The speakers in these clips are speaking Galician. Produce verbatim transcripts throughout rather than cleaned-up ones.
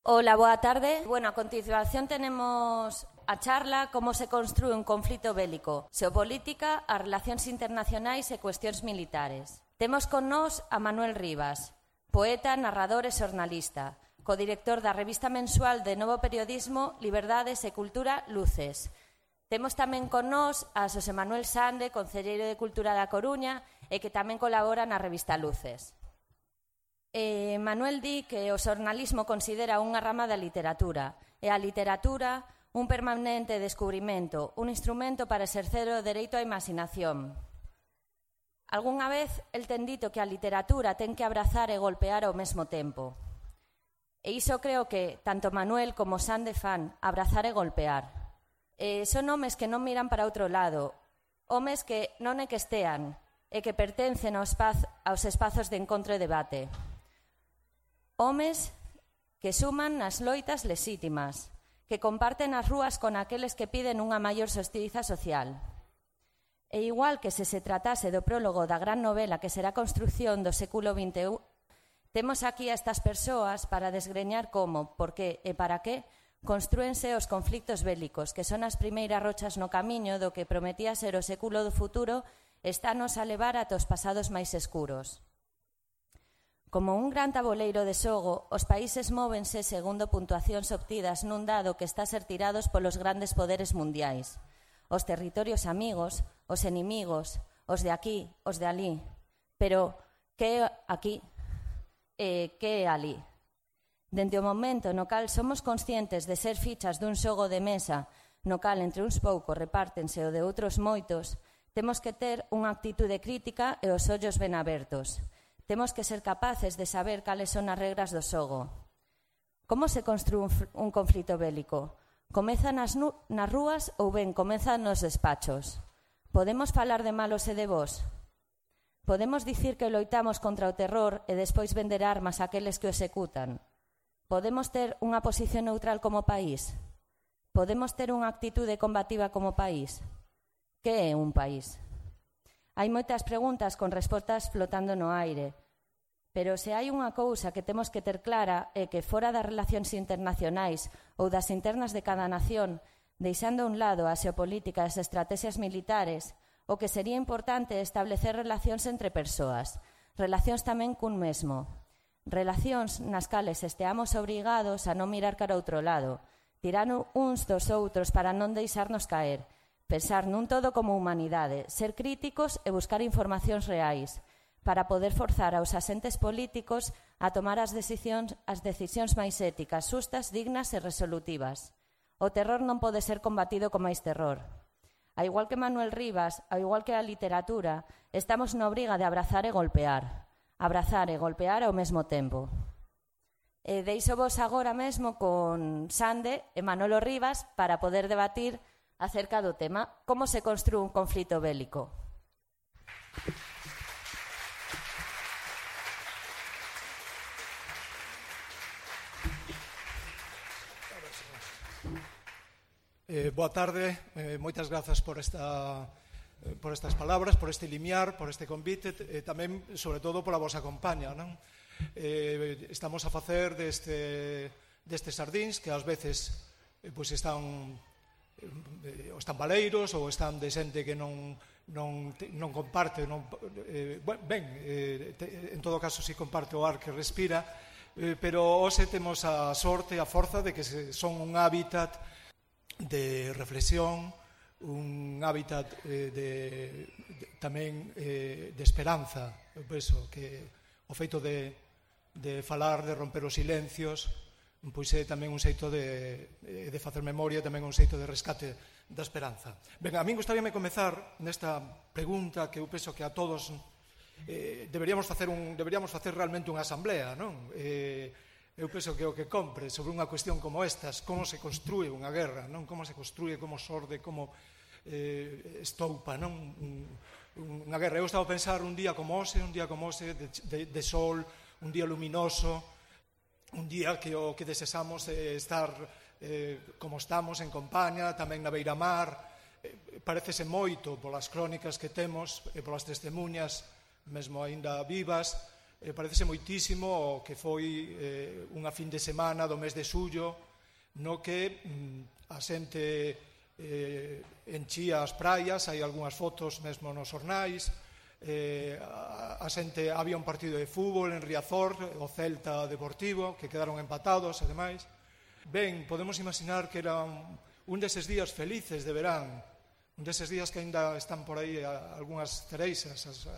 Hola, boa tarde. Bueno, a continuación tenemos a charla Como se construe un conflito bélico, xeopolítica, as relacións internacionais e cuestións militares. Temos con nós a Manuel Rivas, poeta, narrador e xornalista, codirector da revista mensual de Novo Periodismo, Liberdades e Cultura, Luces. Temos tamén con nós a Xosé Manuel Sande, concelleiro de Cultura da Coruña e que tamén colabora na revista Luces. Eh, Manuel di que o xornalismo considera unha rama da literatura e a literatura un permanente descubrimento, un instrumento para exercer o dereito á imaginación. Algúnha vez el ten dito que a literatura ten que abrazar e golpear ao mesmo tempo. E iso creo que tanto Manuel como Sande fan, abrazar e golpear. Eh, son homes que non miran para outro lado, homes que non é que estean e que pertencen aos, espaz, aos espazos de encontro e debate. Homes que suman nas loitas lexítimas, que comparten as rúas con aqueles que piden unha maior xustiza social. E igual que se se tratase do prólogo da gran novela que será a construción do século vinte e un, temos aquí a estas persoas para desgreñar como, por que e para que construense os conflictos bélicos, que son as primeiras rochas no camiño do que prometía ser o século do futuro, estános a levar ata os pasados máis escuros. Como un gran taboleiro de xogo, os países móvense segundo puntuacións obtidas nun dado que está a ser tirados polos grandes poderes mundiais. Os territorios amigos, os enemigos, os de aquí, os de alí. Pero, que é aquí e que é alí? Dende o momento no cal somos conscientes de ser fichas dun xogo de mesa, no cal entre uns poucos repártense o de outros moitos, temos que ter unha actitude crítica e os ollos ben abertos. Temos que ser capaces de saber cales son as regras do xogo. Como se construe un, un conflito bélico? Comeza nas, nas rúas ou ben comeza nos despachos? Podemos falar de malos e de vos? Podemos dicir que loitamos contra o terror e despois vender armas àqueles que o executan? Podemos ter unha posición neutral como país? Podemos ter unha actitude combativa como país? Que é un país? Hai moitas preguntas con respostas flotando no aire, pero se hai unha cousa que temos que ter clara é que fora das relacións internacionais ou das internas de cada nación, deixando a un lado a xeopolítica e as estrategias militares, o que sería importante é establecer relacións entre persoas, relacións tamén cun mesmo, relacións nas cales esteamos obrigados a non mirar cara a outro lado, tirar uns dos outros para non deixarnos caer, pensar nun todo como humanidade, ser críticos e buscar informacións reais, para poder forzar aos asentes políticos a tomar as decisións, as decisións máis éticas, xustas, dignas e resolutivas. O terror non pode ser combatido con máis terror. A igual que Manuel Rivas, a igual que a literatura, estamos na obriga de abrazar e golpear. Abrazar e golpear ao mesmo tempo. E deixo vos agora mesmo con Sande e Manolo Rivas para poder debatir acerca do tema como se construe un conflito bélico. Eh, boa tarde, eh, moitas grazas por esta eh, por estas palabras, por este limiar, por este convite e eh, tamén, sobre todo, pola vosa compañía, non? Eh, estamos a facer deste destes sardíns que ás veces eh, pois están ou están baleiros ou están de xente que non, non, non comparte non, eh, ben, eh, te, en todo caso si comparte o ar que respira, eh, pero hoxe temos a sorte e a forza de que se, son un hábitat de reflexión, un hábitat eh, de, de tamén eh, de esperanza. Eu penso que o feito de, de falar, de romper os silencios, pois é tamén un xeito de, de facer memoria, tamén un xeito de rescate da esperanza. Ben, a min gustaríame comezar nesta pregunta que eu penso que a todos eh, deberíamos facer un deberíamos facer realmente unha asamblea, non? Eh, eu penso que o que compre sobre unha cuestión como estas, como se construe unha guerra, non? Como se construe, como sorde, como eh, estoupa, non? Un, unha guerra. Eu estaba a pensar un día como hoxe, un día como hoxe de, de, de sol, un día luminoso, un día que o que desexamos é estar eh, como estamos, en compañía, tamén na beiramar. Eh, parecese moito polas crónicas que temos e polas testemunhas, mesmo aínda vivas, eh, parecese moitísimo o que foi eh, unha fin de semana do mes de xullo no que mm, a xente eh, enchía as praias, hai algunhas fotos mesmo nos xornais, eh, a, a xente, había un partido de fútbol en Riazor, o Celta Deportivo, que quedaron empatados e demais. Ben, podemos imaginar que era un, un deses días felices de verán, un deses días que ainda están por aí algunhas cereixas, as,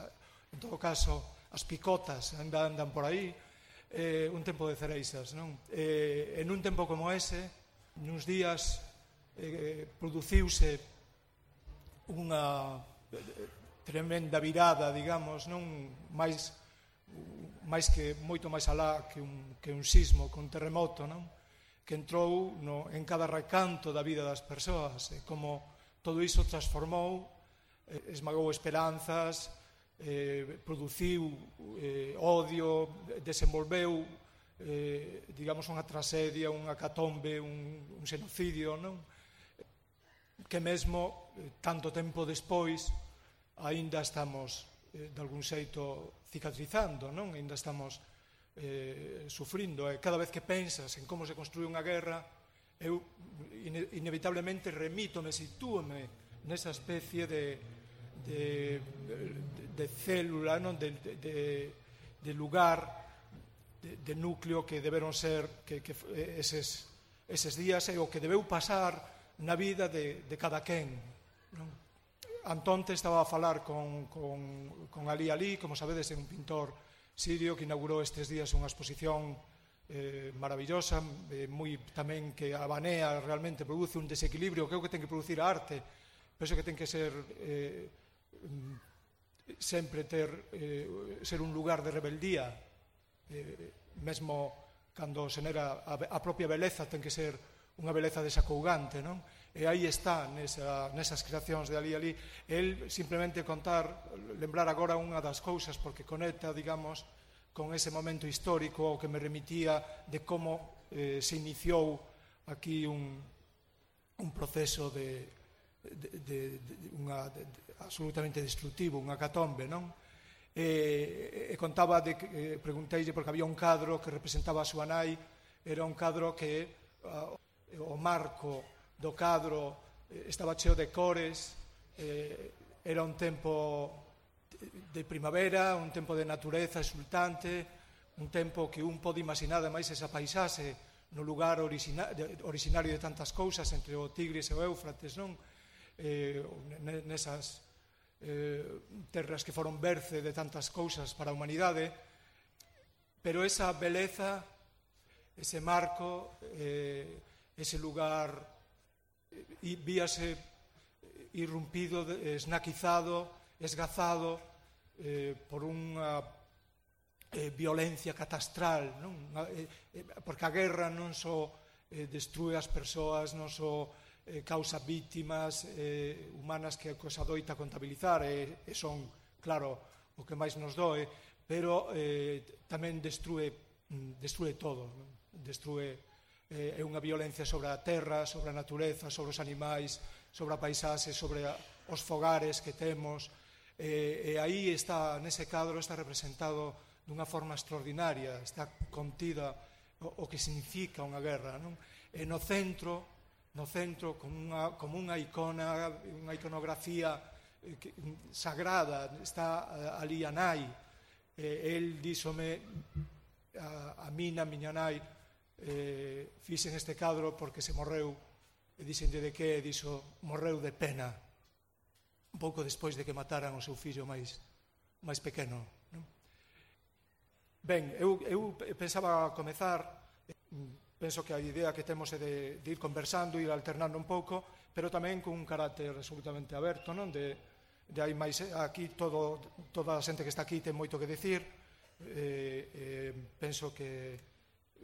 en todo caso as picotas ainda andan por aí, eh, un tempo de cereixas, non? Eh, en un tempo como ese, nuns días eh, produciuse unha tremenda virada, digamos, non máis máis que moito máis alá que un, que un sismo, que un terremoto, non? Que entrou no, en cada recanto da vida das persoas, e como todo iso transformou, eh, esmagou esperanzas, eh, produciu eh, odio, desenvolveu, eh, digamos, unha tragedia, unha catombe, un, un xenocidio, non? Que mesmo, eh, tanto tempo despois, aínda estamos, eh, de algún xeito, cicatrizando, non? Aínda estamos eh, sufrindo, e cada vez que pensas en como se construe unha guerra, eu inevitablemente remítome, sitúome nesa especie de, de, de célula, non? De, de, de lugar, de, de núcleo que deberon ser que, que eses, eses días e o que debeu pasar na vida de, de cada quen, non? Antonte estaba a falar con, con, con Ali Ali, como sabedes, é un pintor sirio que inaugurou estes días unha exposición Eh, maravillosa, eh, moi tamén que abanea, realmente produce un desequilibrio, creo que ten que producir a arte, penso que ten que ser eh, sempre ter eh, ser un lugar de rebeldía, eh, mesmo cando xenera a, a propia beleza ten que ser unha beleza desacougante, non? E aí está nesa, nesas creacións de Ali Ali, el simplemente contar, lembrar agora unha das cousas, porque conecta, digamos, con ese momento histórico ao que me remitía de como eh, se iniciou aquí un, un proceso de, de, de, de, unha, de, de absolutamente destructivo, unha catombe, non? E, e contaba, de, eh, pregunteille, porque había un cadro que representaba a súa nai, era un cadro que uh, o marco do cadro eh, estaba cheo de cores, eh, era un tempo de primavera, un tempo de natureza exultante, un tempo que un pode imaginar ademais esa paisaxe no lugar origina, de, originario de tantas cousas entre o Tigris e o Éufrates, non? Eh, nesas eh, terras que foron berce de tantas cousas para a humanidade, pero esa beleza, ese marco, eh, ese lugar eh, víase irrumpido, esnaquizado, esgazado eh, por unha eh, violencia catastral, non? Eh, eh, porque a guerra non só eh, destrue as persoas, non só eh, causa vítimas eh, humanas que a doita contabilizar e, e son, claro, o que máis nos doe, pero eh, tamén destrue, destrue todo, non? Destrue eh, é unha violencia sobre a terra, sobre a natureza, sobre os animais, sobre a paisaxe, sobre a, os fogares que temos. E, e aí está, nese cadro, está representado dunha forma extraordinaria, está contida o, o que significa unha guerra, non? E no centro, no centro como unha, como unha icona, unha iconografía eh, que, sagrada, está uh, ali a nai, e el díxome a, a mina, a miña nai, eh, fixen este cadro porque se morreu, e dixenlle de que, dixo, morreu de pena, un pouco despois de que mataran o seu fillo máis, máis pequeno, non? Ben, eu, eu pensaba comezar, penso que a idea que temos é de, de ir conversando, ir alternando un pouco, pero tamén con un carácter absolutamente aberto, non? De, de hai máis, aquí todo, toda a xente que está aquí ten moito que decir, eh, eh, penso que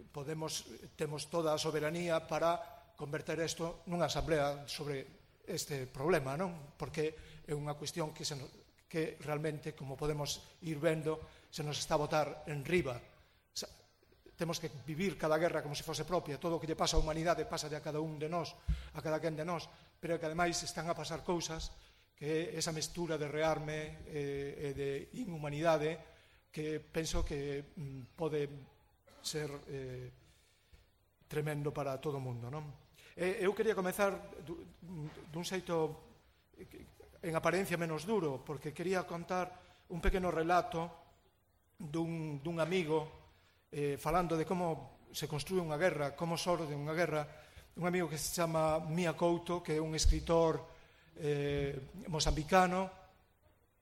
podemos, temos toda a soberanía para converter isto nunha asamblea sobre este problema, non? Porque é unha cuestión que, se nos, que realmente, como podemos ir vendo, se nos está a botar en riba. O sea, temos que vivir cada guerra como se fose propia, todo o que lle pasa á humanidade pasa a cada un de nós, a cada quen de nós, pero que ademais están a pasar cousas que esa mestura de rearme e, e de inhumanidade que penso que pode ser tremendo para todo o mundo, non? Eu quería comezar dun xeito en apariencia menos duro, porque quería contar un pequeno relato dun, dun amigo eh, falando de como se construe unha guerra, como sorde unha guerra, un amigo que se chama Mia Couto, que é un escritor eh, mozambicano,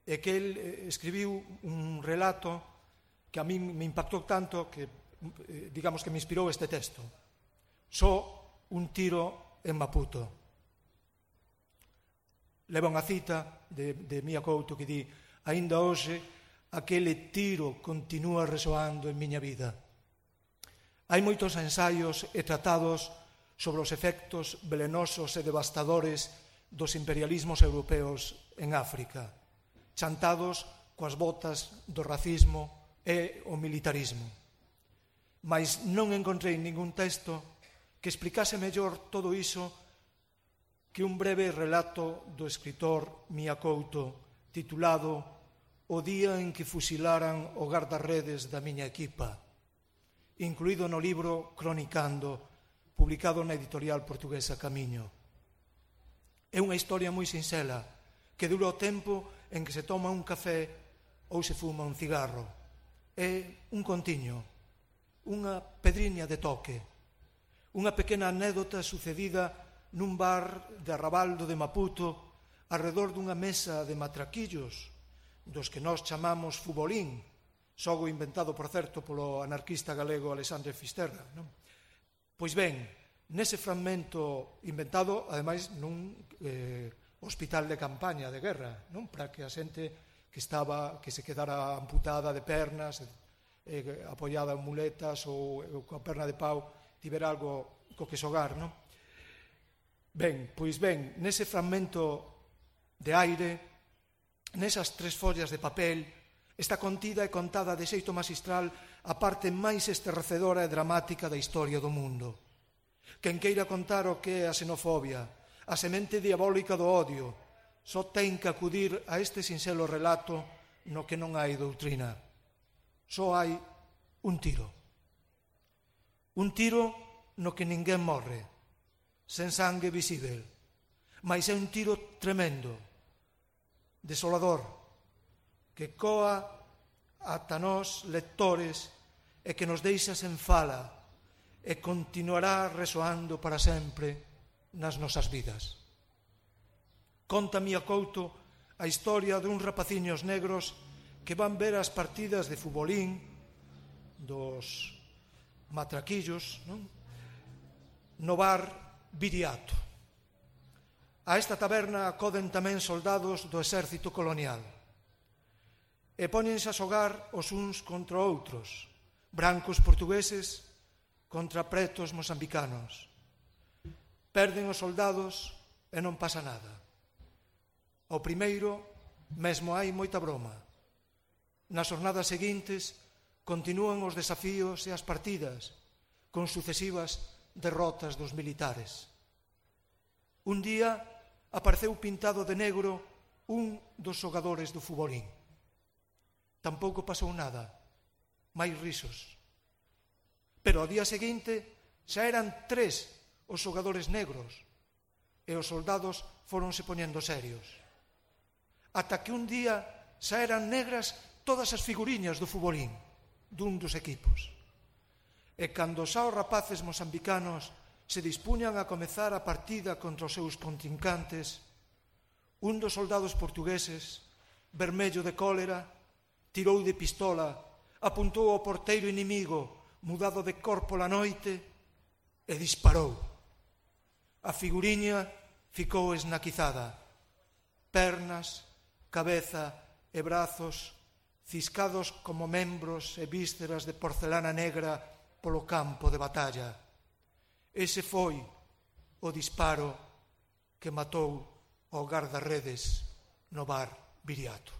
e que el eh, escribiu un relato que a mí me impactou tanto que, eh, digamos que me inspirou este texto. Só un tiro en Maputo. Leva unha cita de, de Mia Couto que di: «Ainda hoxe aquele tiro continúa resoando en miña vida». Hai moitos ensaios e tratados sobre os efectos velenosos e devastadores dos imperialismos europeos en África, chantados coas botas do racismo e o militarismo. Mais non encontrei ningún texto que explicase mellor todo iso que un breve relato do escritor Mia Couto titulado «O día en que fusilaran o guardarredes da miña equipa», incluído no libro Cronicando, publicado na editorial portuguesa Camiño. É unha historia moi sinxela que dura o tempo en que se toma un café ou se fuma un cigarro. É un contiño, unha pedriña de toque, unha pequena anécdota sucedida nun bar de Arrabaldo de Maputo arredor dunha mesa de matraquillos dos que nós chamamos fubolín, xogo inventado, por certo, polo anarquista galego Alexandre Fisterra, non? Pois ben, nese fragmento inventado, ademais, nun eh, hospital de campaña de guerra, non? Para que a xente que estaba, que se quedara amputada de pernas, eh, apoiada en muletas ou, ou coa perna de pau, tivera algo co que xogar, non? Ben, pois ben, nese fragmento de aire, nesas tres follas de papel, está contida e contada de xeito magistral a parte máis esterrecedora e dramática da historia do mundo. Quen queira contar o que é a xenofobia, a semente diabólica do odio, só ten que acudir a este sinxelo relato no que non hai doutrina. Só hai un tiro. Un tiro no que ninguén morre, sen sangue visível, mais é un tiro tremendo, desolador, que coa ata nós, lectores, e que nos deixa sen fala e continuará resoando para sempre nas nosas vidas. Conta Mia Couto a historia dun rapaciños negros que van ver as partidas de futbolín dos matraquillos, non? No bar Viriato. A esta taberna acoden tamén soldados do exército colonial e póñense a xogar os uns contra outros, brancos portugueses contra pretos mozambicanos. Perden os soldados e non pasa nada. Ao primeiro, mesmo hai moita broma. Nas jornadas seguintes, continúan os desafíos e as partidas, con sucesivas derrotas dos militares. Un día apareceu pintado de negro un dos xogadores do futbolín. Tampouco pasou nada, máis risos. Pero ao día seguinte xa eran tres os xogadores negros e os soldados fóronse poñendo serios. Ata que un día xa eran negras todas as figuriñas do futbolín dun dos equipos. E cando xa os rapaces mozambicanos se dispuñan a comezar a partida contra os seus contrincantes, un dos soldados portugueses, vermello de cólera, tirou de pistola, apuntou ao porteiro inimigo, mudado de cor pola noite, e disparou. A figuriña ficou esnaquizada. Pernas, cabeza e brazos ciscados como membros e vísceras de porcelana negra polo campo de batalla. Ese foi o disparo que matou ao guardarredes no bar Viriato.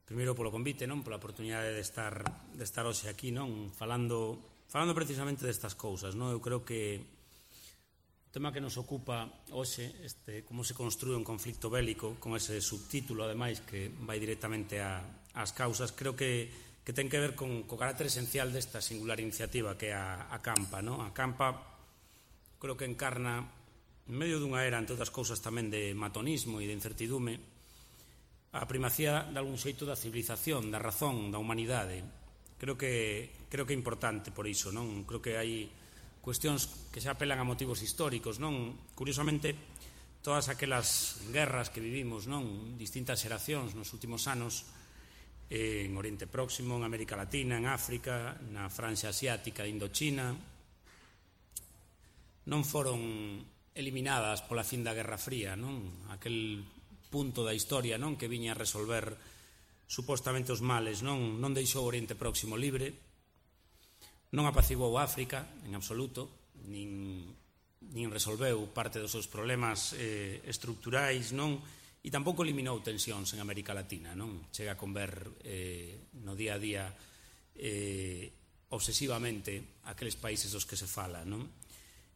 Primeiro polo convite, non? Pola oportunidade de estar de estar hoxe aquí, non? Falando falando precisamente destas cousas, non? Eu creo que o tema que nos ocupa hoxe, este, como se construe un conflicto bélico, con ese subtítulo, ademais, que vai directamente a, ás causas, creo que, que ten que ver con co carácter esencial desta singular iniciativa que é a, a Campa, non? A Campa creo que encarna, en medio dunha era, entre outras cousas, tamén de matonismo e de incertidume, a primacía de algún xeito da civilización, da razón, da humanidade. Creo que, creo que é importante por iso, non? Creo que hai cuestións que xa apelan a motivos históricos, non? Curiosamente, todas aquelas guerras que vivimos, non? Distintas xeracións nos últimos anos, eh, en Oriente Próximo, en América Latina, en África, na Francia asiática, Indochina, non foron eliminadas pola fin da Guerra Fría, non? Aquel punto da historia, non, que viña a resolver supostamente os males, non, non deixou o Oriente Próximo libre, non apaciguou África en absoluto, nin, nin resolveu parte dos seus problemas eh, estructurais, non, e tampouco eliminou tensións en América Latina, non? Chega a conver eh, no día a día eh, obsesivamente aqueles países dos que se fala, non?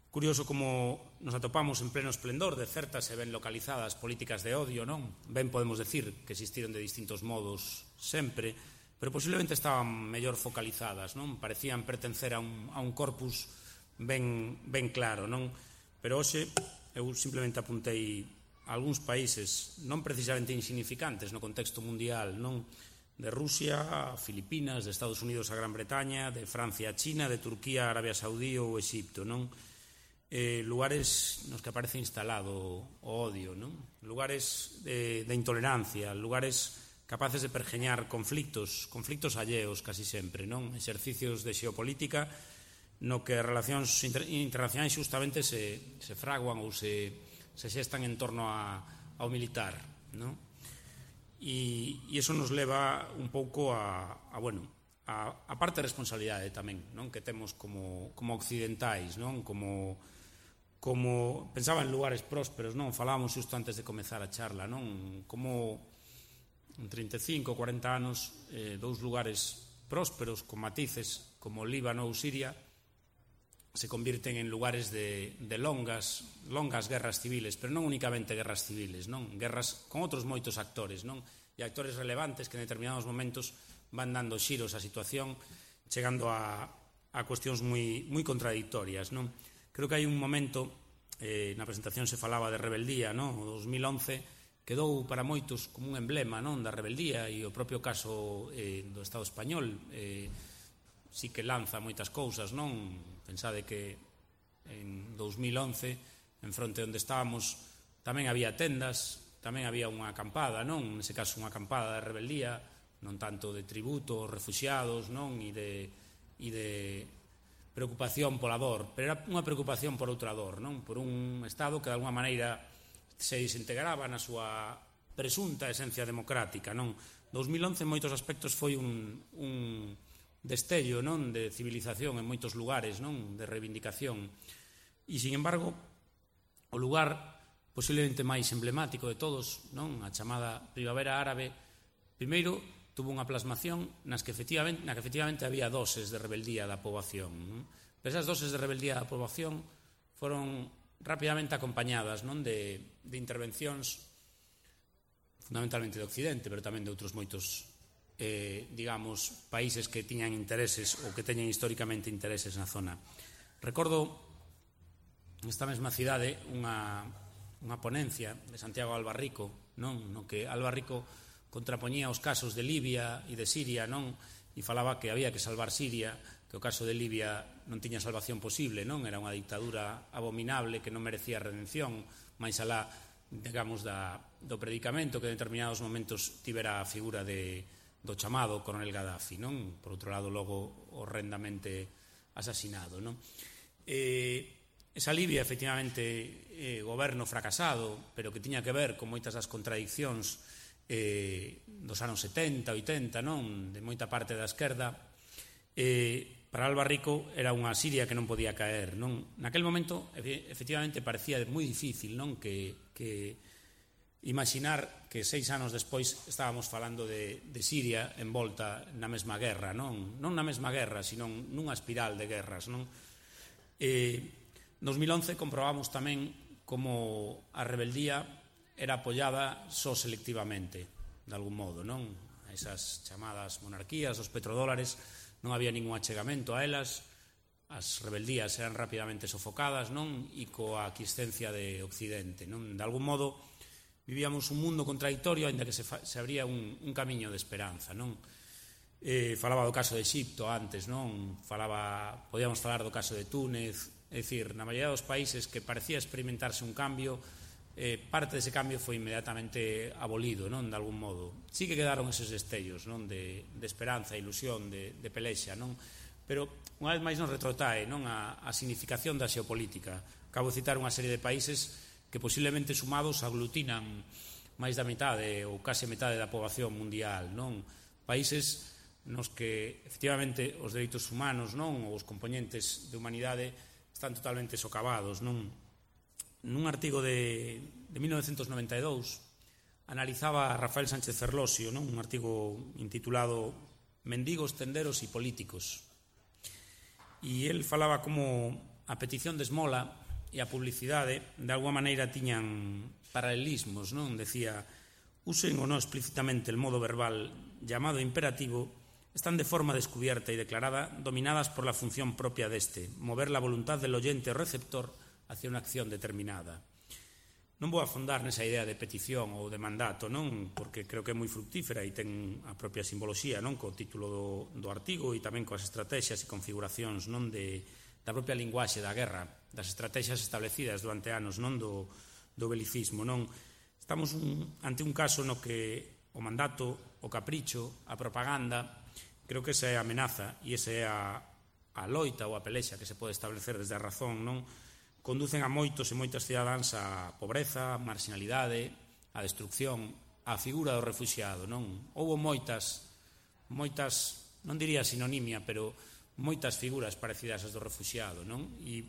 Curioso como nos atopamos en pleno esplendor de certas e ben localizadas políticas de odio, non? Ben podemos decir que existiron de distintos modos sempre, pero posiblemente estaban mellor focalizadas, non? Parecían pertencer a un, a un corpus ben, ben claro, non? Pero hoxe eu simplemente apuntei a algúns países non precisamente insignificantes no contexto mundial, non? De Rusia a Filipinas, de Estados Unidos a Gran Bretaña, de Francia a China, de Turquía a Arabia Saudí ou Exipto, non? Eh, lugares nos que aparece instalado o odio, non? Lugares de, de intolerancia, lugares capaces de pergeñar conflictos, conflictos alleos casi sempre, non? Exercicios de xeopolítica no que as relacións inter, internacionais justamente se, se fraguan ou se, se xestan en torno a, ao militar, non? E, e iso nos leva un pouco a, a bueno, a, a parte de responsabilidade tamén, non? Que temos como, como occidentais, non? Como como pensaba en lugares prósperos, non? Falábamos xusto antes de comezar a charla, non? Como en trinta e cinco, cuarenta anos, eh, dous lugares prósperos con matices como Líbano ou Siria se convirten en lugares de, de longas, longas guerras civiles, pero non únicamente guerras civiles, non? Guerras con outros moitos actores, non? E actores relevantes que en determinados momentos van dando xiros á situación, chegando a, a cuestións moi, moi contradictorias, non? Creo que hai un momento, eh, na presentación se falaba de rebeldía, non? O dos mil once quedou para moitos como un emblema, non? Da rebeldía, e o propio caso eh, do Estado español eh, sí que lanza moitas cousas, non? Pensade que en dos mil once, en fronte onde estábamos, tamén había tendas, tamén había unha acampada, non? Nese caso unha acampada de rebeldía, non tanto de tributo, refuxiados, non? E de, e de preocupación pola dor, pero era unha preocupación por outra dor, non? Por un Estado que de alguma maneira se desintegraba na súa presunta esencia democrática, non? dos mil once en moitos aspectos foi un, un destello, non? De civilización en moitos lugares, non? De reivindicación. E, sin embargo, o lugar posiblemente máis emblemático de todos, non? A chamada Primavera Árabe, primeiro tuvo unha plasmación nas que efectivamente, na que efectivamente había doses de rebeldía da poboación, non? Pero esas doses de rebeldía da poboación foron rapidamente acompañadas, non? De, de intervencións fundamentalmente de Occidente, pero tamén de outros moitos eh, digamos, países que tiñan intereses ou que teñen históricamente intereses na zona. Recordo nesta mesma cidade unha, unha ponencia de Santiago Albarrico, non? No que Albarrico contrapoñía os casos de Libia e de Siria, non? E falaba que había que salvar Siria, que o caso de Libia non tiña salvación posible, non? Era unha dictadura abominable que non merecía redención, máis alá, digamos, da, do predicamento que en determinados momentos tivera a figura de, do chamado coronel Gaddafi, non? Por outro lado, logo, horrendamente asasinado, non? Eh, esa Libia, efectivamente, eh, goberno fracasado, pero que tiña que ver con moitas das contradiccións eh, dos anos setenta, oitenta, non? De moita parte da esquerda, eh, para Albarrico era unha Siria que non podía caer, non? Naquel momento, efectivamente, parecía moi difícil, non? Que, que imaginar que seis anos despois estábamos falando de, de Siria envolta na mesma guerra, non, non na mesma guerra, sino nunha espiral de guerras, non? E, en dos mil once comprobamos tamén como a rebeldía era apoiada só selectivamente, de algún modo, non? A esas chamadas monarquías, os petrodólares, non había ningún achegamento a elas, as rebeldías eran rapidamente sofocadas, non? E coa aquiescencia de Occidente, non? De algún modo vivíamos un mundo contradictorio, ainda que se, fa, se abría un, un camiño de esperanza, non? Eh, falaba do caso de Egipto antes, non? Falaba, podíamos falar do caso de Túnez, é dicir, na maioría dos países que parecía experimentarse un cambio, eh, parte dese cambio foi inmediatamente abolido, non? De algún modo. Sí que quedaron eses destellos, non? De, de esperanza, ilusión, de, de pelexa, non? Pero, unha vez máis nos retrotrae, non? A, a significación da xeopolítica. Acabo de citar unha serie de países que posiblemente sumados aglutinan máis da metade ou case metade da poboación mundial, non? Países nos que, efectivamente, os dereitos humanos, non? Ou os componentes de humanidade están totalmente socavados, non? Nun artigo de, de mil novecentos noventa e dous analizaba Rafael Sánchez Ferlosio, non? Un artigo intitulado Mendigos, tenderos e políticos. E el falaba como a petición de esmola e a publicidade, de alguma maneira, tiñan paralelismos, non? Decía, usen ou non explícitamente el modo verbal llamado imperativo, están de forma descubierta e declarada dominadas por la función propia deste, mover la voluntad del oyente o receptor hacia unha acción determinada. Non vou afondar nesa idea de petición ou de mandato, non? Porque creo que é moi fructífera e ten a propia simboloxía, non? Co título do, do artigo e tamén coas estrategias e configuracións, non? De da propia linguaxe da guerra, das estrategias establecidas durante anos, non? Do, do belicismo, non? Estamos un, ante un caso no que o mandato, o capricho, a propaganda, creo que esa é a amenaza e esa é a, a loita ou a pelexa que se pode establecer desde a razón, non? Conducen a moitos e moitas cidadáns a pobreza, a marginalidade, a destrucción, a figura do refuxiado, non? Houbo moitas, moitas, non diría sinonimia, pero moitas figuras parecidas ás do refuxiado, non? E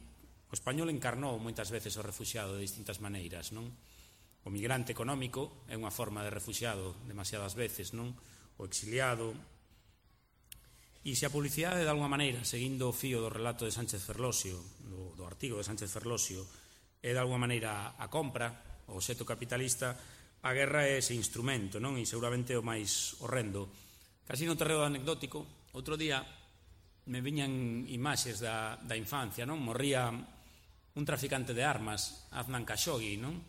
o español encarnou moitas veces o refuxiado de distintas maneiras, non? O migrante económico é unha forma de refuxiado demasiadas veces, non? O exiliado. E se a publicidade, de alguma maneira, seguindo o fío do relato de Sánchez Ferlosio, do, do artigo de Sánchez Ferlosio, é de alguma maneira a compra, o obxecto capitalista, a guerra é ese instrumento, non? E seguramente o máis horrendo. Casi no terreo anecdótico, outro día me viñan imaxes da, da infancia, non? Morría un traficante de armas, Adnan Khashoggi, non?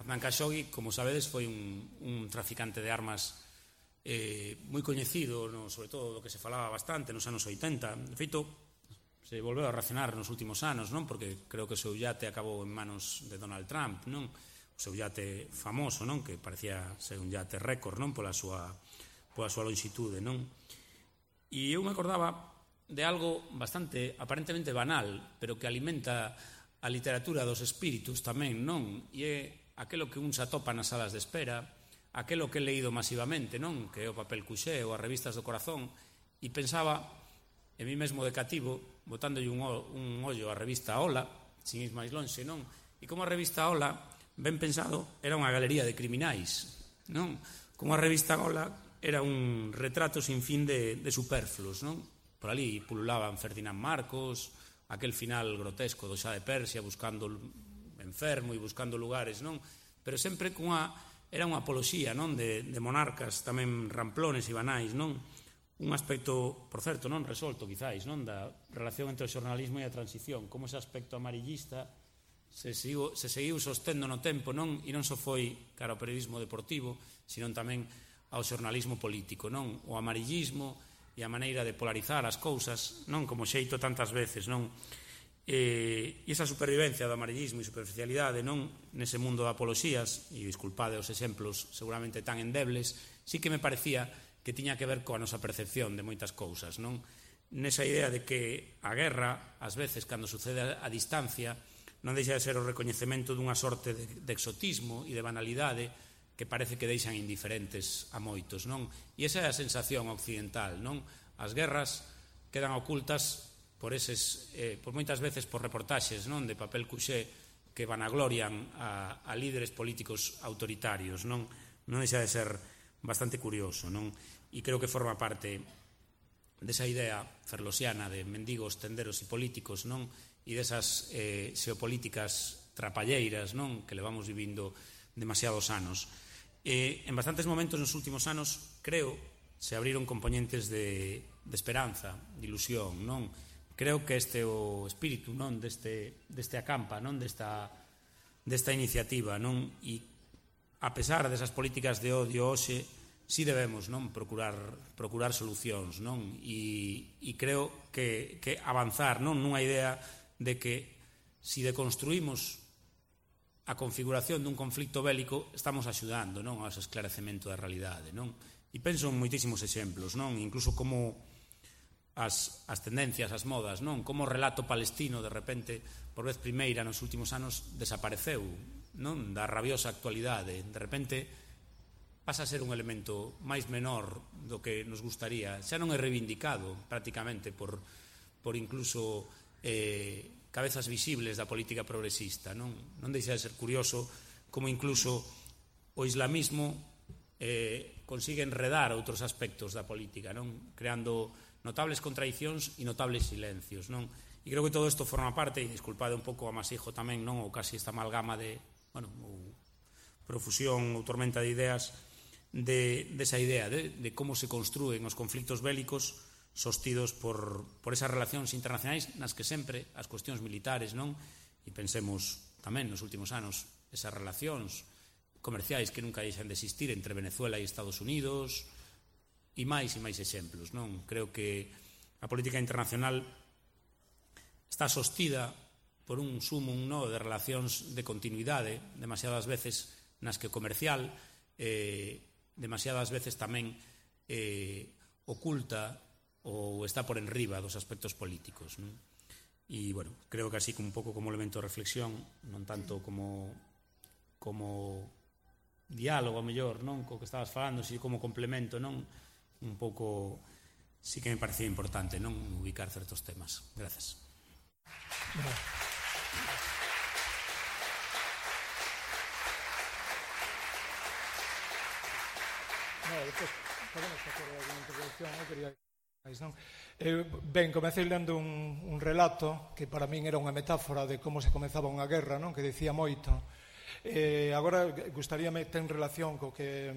Adnan Khashoggi, como sabedes, foi un, un traficante de armas eh, moi coñecido, no, sobre todo do que se falaba bastante nos anos oitenta. De feito, se volveu a racionar nos últimos anos, non? Porque creo que o seu yate acabou en manos de Donald Trump, non? O seu yate famoso, non? Que parecía ser un yate récord, non? Pola súa, pola súa longitude, non? E eu me acordaba de algo bastante aparentemente banal, pero que alimenta a literatura dos espíritus tamén, non? E é aquelo que un se atopa nas salas de espera, aquelo que he leído masivamente, non? Que é o papel cuxé ou as revistas do corazón, e pensaba en mí mesmo de cativo, botándolle un, un ollo á revista Ola, sin ir máis lonxe, non? E como a revista Ola, ben pensado, era unha galería de criminais, non? Como a revista Ola era un retrato sin fin de, de superfluos, non? Por ali pululaban Ferdinand Marcos, aquel final grotesco do Xa de Persia, buscando enfermo e buscando lugares, non? Pero sempre cunha, era unha apoloxía, non? De, de monarcas tamén ramplones e banais, non? Un aspecto, por certo, non resolto, quizáis, non? Da relación entre o xornalismo e a transición, como ese aspecto amarillista se seguiu, se seguiu sostendo no tempo, non? E non só foi cara ao periodismo deportivo, sino tamén ao xornalismo político, non? O amarillismo e a maneira de polarizar as cousas, non? Como xeito tantas veces, non? E, e esa supervivencia do amarillismo e superficialidade, non? Nese mundo de apoloxías, e disculpade os exemplos seguramente tan endebles, sí que me parecía que tiña que ver coa nosa percepción de moitas cousas, non? Nesa idea de que a guerra, ás veces, cando sucede a distancia, non deixa de ser o recoñecemento dunha sorte de, de exotismo e de banalidade que parece que deixan indiferentes a moitos, non? E esa é a sensación occidental, non? As guerras quedan ocultas por eses, eh, por moitas veces por reportaxes, non? De papel cuxé que vanaglorian a, a líderes políticos autoritarios, non? Non deixa de ser bastante curioso, non? E creo que forma parte desa idea ferlosiana de mendigos, tenderos e políticos, non? E desas eh, xeopolíticas trapalleiras, non? Que levamos vivindo demasiados anos. Eh, en bastantes momentos nos últimos anos, creo, se abriron componentes de, de esperanza, de ilusión, non? Creo que este é o espírito, non? Deste, deste acampa, non? Desta, desta iniciativa, non? E a pesar desas políticas de odio hoxe, si debemos, non? Procurar, procurar solucións, non? E, e creo que, que avanzar, non? Nunha idea de que si deconstruímos a configuración dun conflicto bélico, estamos axudando, non? Ao esclarecemento da realidade, non? E penso en moitísimos exemplos, non? Incluso como as, as tendencias, as modas, non? Como o relato palestino, de repente, por vez primeira nos últimos anos, desapareceu, non? Da rabiosa actualidade. De repente, pasa a ser un elemento máis menor do que nos gustaría. Xa non é reivindicado, prácticamente, por, por incluso eh, cabezas visibles da política progresista, non? Non deixa de ser curioso como incluso o islamismo eh, consigue enredar outros aspectos da política, non? Creando notables contradicións e notables silencios, non? E creo que todo isto forma parte, e disculpade un pouco o amasijo tamén, non? Ou casi esta amalgama de, bueno, ou profusión ou tormenta de ideas de, de esa idea de, de como se construen os conflictos bélicos sostidos por, por esas relacións internacionais nas que sempre as cuestións militares, non? E pensemos tamén nos últimos anos esas relacións comerciais que nunca deixan de existir entre Venezuela e Estados Unidos, e máis e máis exemplos, non? Creo que a política internacional está sostida por un sumum, non? De relacións de continuidade, demasiadas veces nas que o comercial eh, demasiadas veces tamén eh, oculta ou está por enriba dos aspectos políticos, non? E, bueno, creo que así como un pouco como elemento de reflexión, non tanto como como diálogo, a mellor, non? Co que estabas falando, si como complemento, non? Un pouco, sí que me parecía importante, non? Ubicar certos temas. Gracias. No. No, despois podemos facer alguna intervención, non quería máis, non? Eh, ben, comecei lendo un, un relato que para min era unha metáfora de como se comezaba unha guerra, non? Que dicía moito. Eh, agora gustaríame ter en relación co que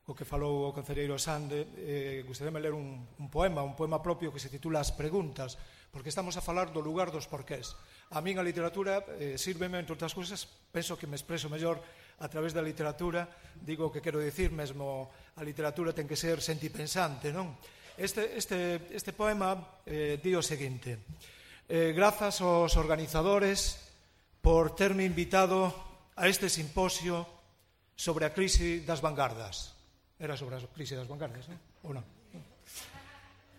o que falou o concelleiro Sande, eh, gustaríame ler un, un poema, un poema propio que se titula As preguntas, porque estamos a falar do lugar dos porqués. A min a literatura eh, sírveme, entre outras cousas, penso que me expreso mellor a través da literatura, digo que quero dicir mesmo, a literatura ten que ser sentipensante, non? Este, este, este poema eh, di o seguinte: eh, grazas aos organizadores por terme invitado a este simposio sobre a crise das vanguardas. Era sobre a crise das vanguardas, non? Ou non?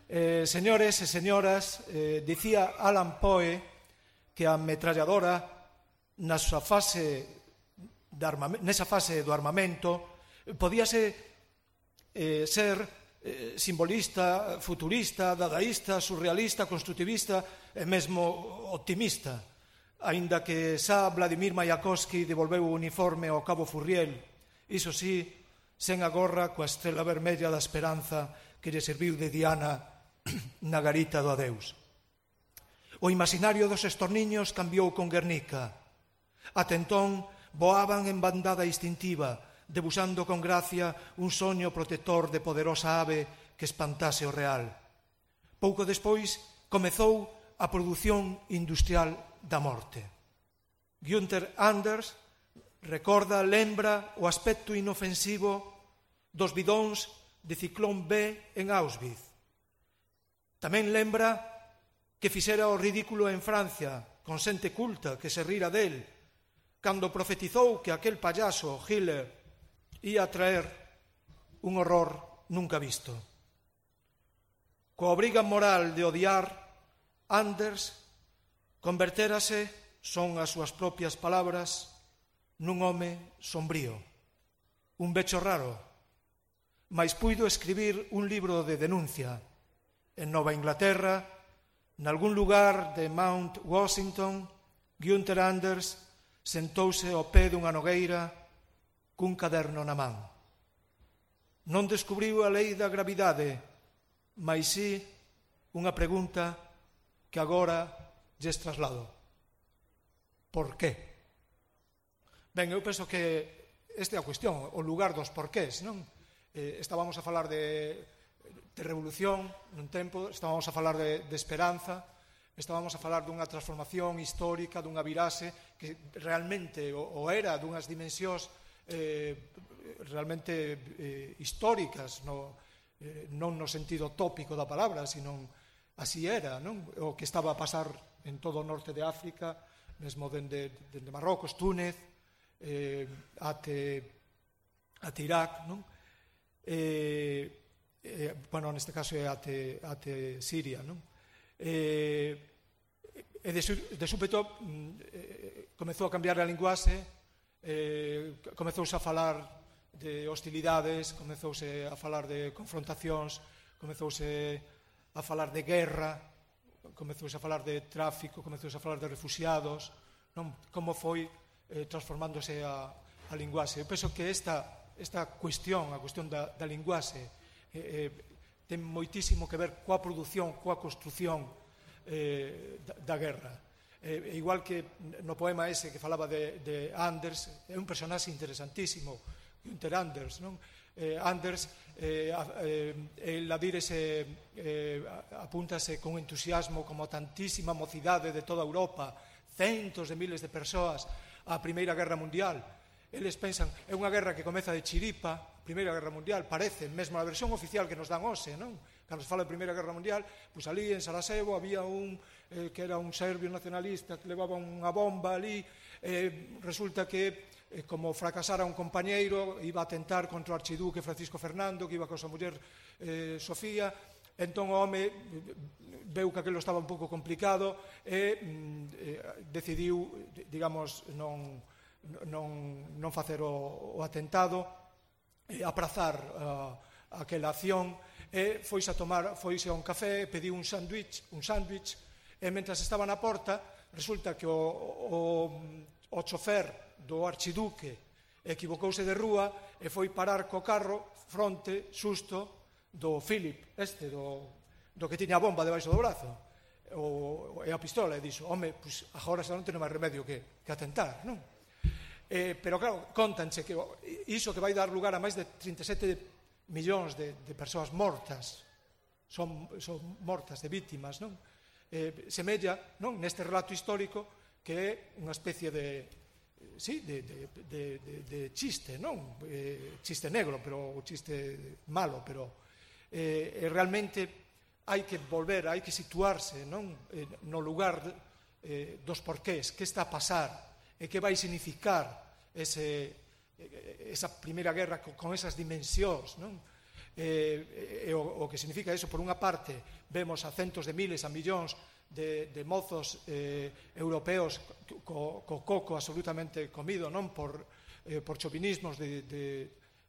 Eh, señores e señoras, eh, dicía Alan Poe que a ametralladora na súa fase de armamento, nesa fase do armamento podíase eh, ser eh, simbolista, futurista, dadaísta, surrealista, constructivista e mesmo optimista, aínda que xa Vladimir Mayakovsky devolveu o uniforme ao cabo Furriel, iso sí, sen a gorra coa estrela vermella da esperanza que lle serviu de diana na garita do adeus. O imaginario dos estorniños cambiou con Guernica. Ata entón voaban en bandada instintiva, debuxando con gracia un soño protector de poderosa ave que espantase o real. Pouco despois comezou a produción industrial da morte. Günther Anders recorda, lembra o aspecto inofensivo dos bidóns de Ciclón B en Auschwitz. Tamén lembra que fixera o ridículo en Francia, con xente culta que se rira del, cando profetizou que aquel payaso, Hitler, ia traer un horror nunca visto. Coa obriga moral de odiar, Anders convertérase, son as súas propias palabras, nun home sombrío, un becho raro, mais puido escribir un libro de denuncia en Nova Inglaterra, nalgún lugar de Mount Washington. Günther Anders sentouse ao pé dunha nogueira cun caderno na man. Non descubriu a lei da gravidade, mais si unha pregunta que agora lles traslado. Por qué? Ben, eu penso que esta é a cuestión, o lugar dos porqués, non? Eh, estábamos a falar de, de revolución nun tempo, estábamos a falar de, de esperanza, estábamos a falar dunha transformación histórica, dunha virase que realmente o, o era dunhas dimensións eh, realmente eh, históricas, no, eh, non no sentido tópico da palabra, sino así era, non? O que estaba a pasar en todo o norte de África, mesmo dende, dende Marrocos, Túnez, eh, ate, ate Irak, non? Eh, eh, bueno, neste caso é ate, ate Siria, non? Eh, e de, de súpeto eh, comezou a cambiar a linguaxe, eh, comezouse a falar de hostilidades, comezouse a falar de confrontacións, comezouse a falar de guerra, comezouse a falar de tráfico, comezouse a falar de refugiados, non? Como foi eh, transformándose a, a linguaxe. Eu penso que esta, esta cuestión, a cuestión da, da linguaxe, eh, eh, ten moitísimo que ver coa produción, coa construción eh, da, da guerra. Eh, igual que no poema ese que falaba de, de Anders, é un personaxe interesantísimo, Günther Anders, non? Eh, Anders, eh, eh, el a direse, eh, apúntase con entusiasmo como tantísima mocidade de toda Europa, centos de miles de persoas á Primeira Guerra Mundial. Eles pensan, é unha guerra que comeza de chiripa, Primeira Guerra Mundial, parece, mesmo a versión oficial que nos dan hoxe, non? Cando se fala de Primeira Guerra Mundial, pois ali en Sarajevo había un eh, que era un serbio nacionalista que levaba unha bomba ali, eh, resulta que eh, como fracasara un compañeiro, iba a atentar contra o archiduque Francisco Fernando, que iba con a súa muller eh, Sofía, entón o home veu que aquilo estaba un pouco complicado e eh, decidiu, digamos, non, non, non facer o, o atentado, eh, aprazar uh, aquela acción, e foise a tomar, foise a un café, pediu un sándwich, un sándwich, e mentras estaba na porta, resulta que o, o, o chofer do archiduque equivocouse de rúa e foi parar co carro fronte, xusto, do Philip, este, do, do que tiña a bomba debaixo do brazo, o, e a pistola, e dixo, home, pues, agora xa non ten máis remedio que, que atentar, non? Eh, pero claro, contanche que iso que vai dar lugar a máis de trinta e sete millóns de, de persoas mortas, son, son mortas de vítimas, non? Eh, semella, non, neste relato histórico que é unha especie de, sí, de, de, de, de, de chiste, non? Eh, chiste negro, pero o chiste malo, pero eh, realmente hai que volver, hai que situarse, non? Eh, no lugar eh, dos porqués, que está a pasar, e que vai significar ese, esa primeira guerra con, con esas dimensións, non? Eh, e o, o que significa eso, por unha parte, vemos a centos de miles, a millóns de, de mozos eh, europeos co, co coco absolutamente comido, non? Por, eh, por chovinismos de, de,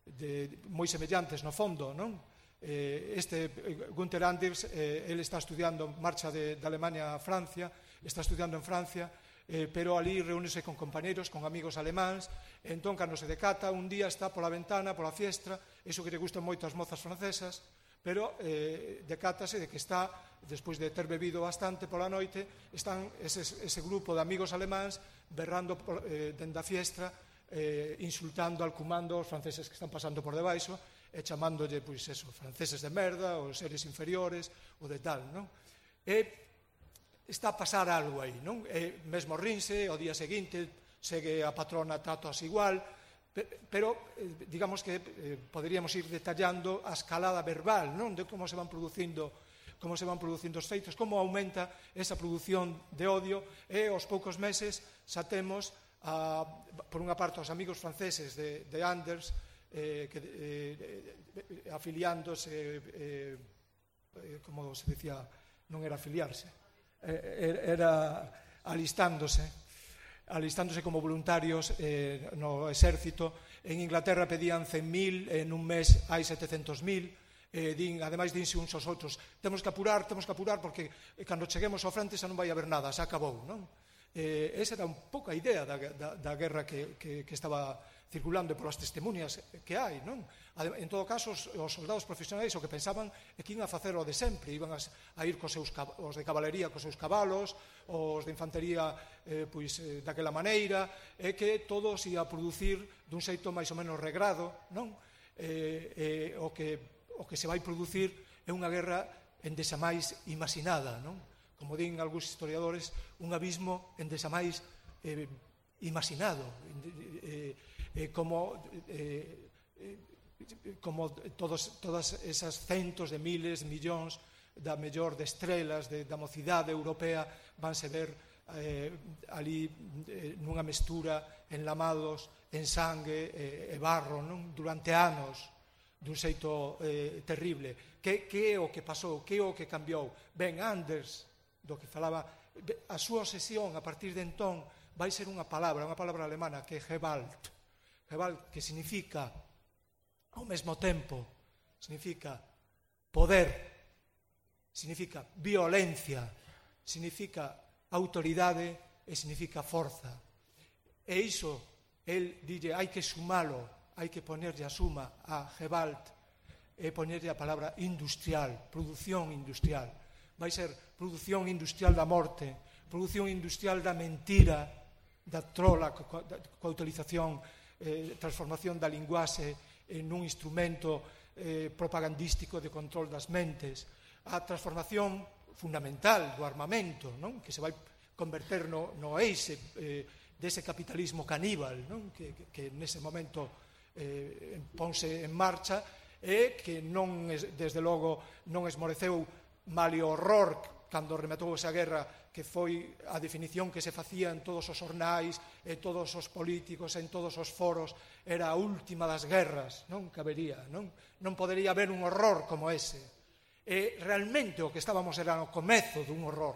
de moi semellantes no fondo, non? Eh, este Günther Anders, eh, ele está estudiando marcha de, de Alemania a Francia, está estudiando en Francia, eh, pero ali reúnese con compañeros, con amigos alemáns, e entón, cando se decata, un día está pola ventana, pola fiestra, iso que lle gustan moito as mozas francesas, pero eh, decátase de que está, despois de ter bebido bastante pola noite, están ese, ese grupo de amigos alemáns berrando eh, dende a fiestra, eh, insultando, alcumando os franceses que están pasando por debaixo, e chamándolle, pois, eso, franceses de merda, ou seres inferiores, ou de tal, non? E está a pasar algo aí, non? E mesmo rinse, o día seguinte segue a patrona tratos igual, pero eh, digamos que eh, poderíamos ir detallando a escalada verbal, non? De como se van producindo como se van producindo os feitos, como aumenta esa produción de odio, e aos poucos meses xa temos a, por unha parte os amigos franceses de, de Anders eh, que, eh, afiliándose eh, eh, como se decía, non era afiliarse, era alistándose alistándose como voluntarios eh, no exército. En Inglaterra pedían cen mil, en un mes hai setecentos mil, eh, din, ademais dinse uns aos outros, temos que apurar, temos que apurar porque cando cheguemos ao frente xa non vai haber nada, xa acabou, non? Eh, esa era un pouco a idea da, da, da guerra que, que, que estaba circulando polas testemunhas que hai, non? En todo caso, os, os soldados profesionais o que pensaban é que iban a facer o de sempre, iban a, a ir cos seus, os de cabalería cos seus cabalos, os de infantería eh, pois, eh, daquela maneira, e que todo se ia a producir dun xeito máis ou menos regrado, non? Eh, eh, o, que, o que se vai producir é unha guerra endesa máis imaginada, non? Como din algúns historiadores, un abismo endesa máis eh, imaginado, eh, eh, como, eh, eh, como todos, todas esas centos de miles, millóns da mellor de estrelas de, da mocidade europea vanse ver eh, ali eh, nunha mestura enlamados en sangue e, e barro, non? Durante anos, dun xeito eh, terrible. Que, que é o que pasou? Que é o que cambiou? Ben, Anders, do que falaba, a súa obsesión a partir de entón vai ser unha palabra, unha palabra alemana que é Gewalt. Gewalt, que significa ao mesmo tempo, significa poder, significa violencia, significa autoridade e significa forza. E iso, el dille, hai que sumalo, hai que ponerlle a suma a Gewalt e ponerlle a palabra industrial, produción industrial. Vai ser produción industrial da morte, produción industrial da mentira, da trola, coa utilización, eh, transformación da linguaxe en un instrumento eh, propagandístico de control das mentes, a transformación fundamental do armamento, non? Que se vai converter no, no eixe eh, dese capitalismo caníbal, non? Que, que, que nese momento eh, ponse en marcha e que non, desde logo, non esmoreceu malio horror cando rematou esa guerra, que foi a definición que se facía en todos os xornais, en todos os políticos, en todos os foros, era a última das guerras, non cabería, non? Non podería haber un horror como ese. E realmente o que estábamos era no comezo dun horror,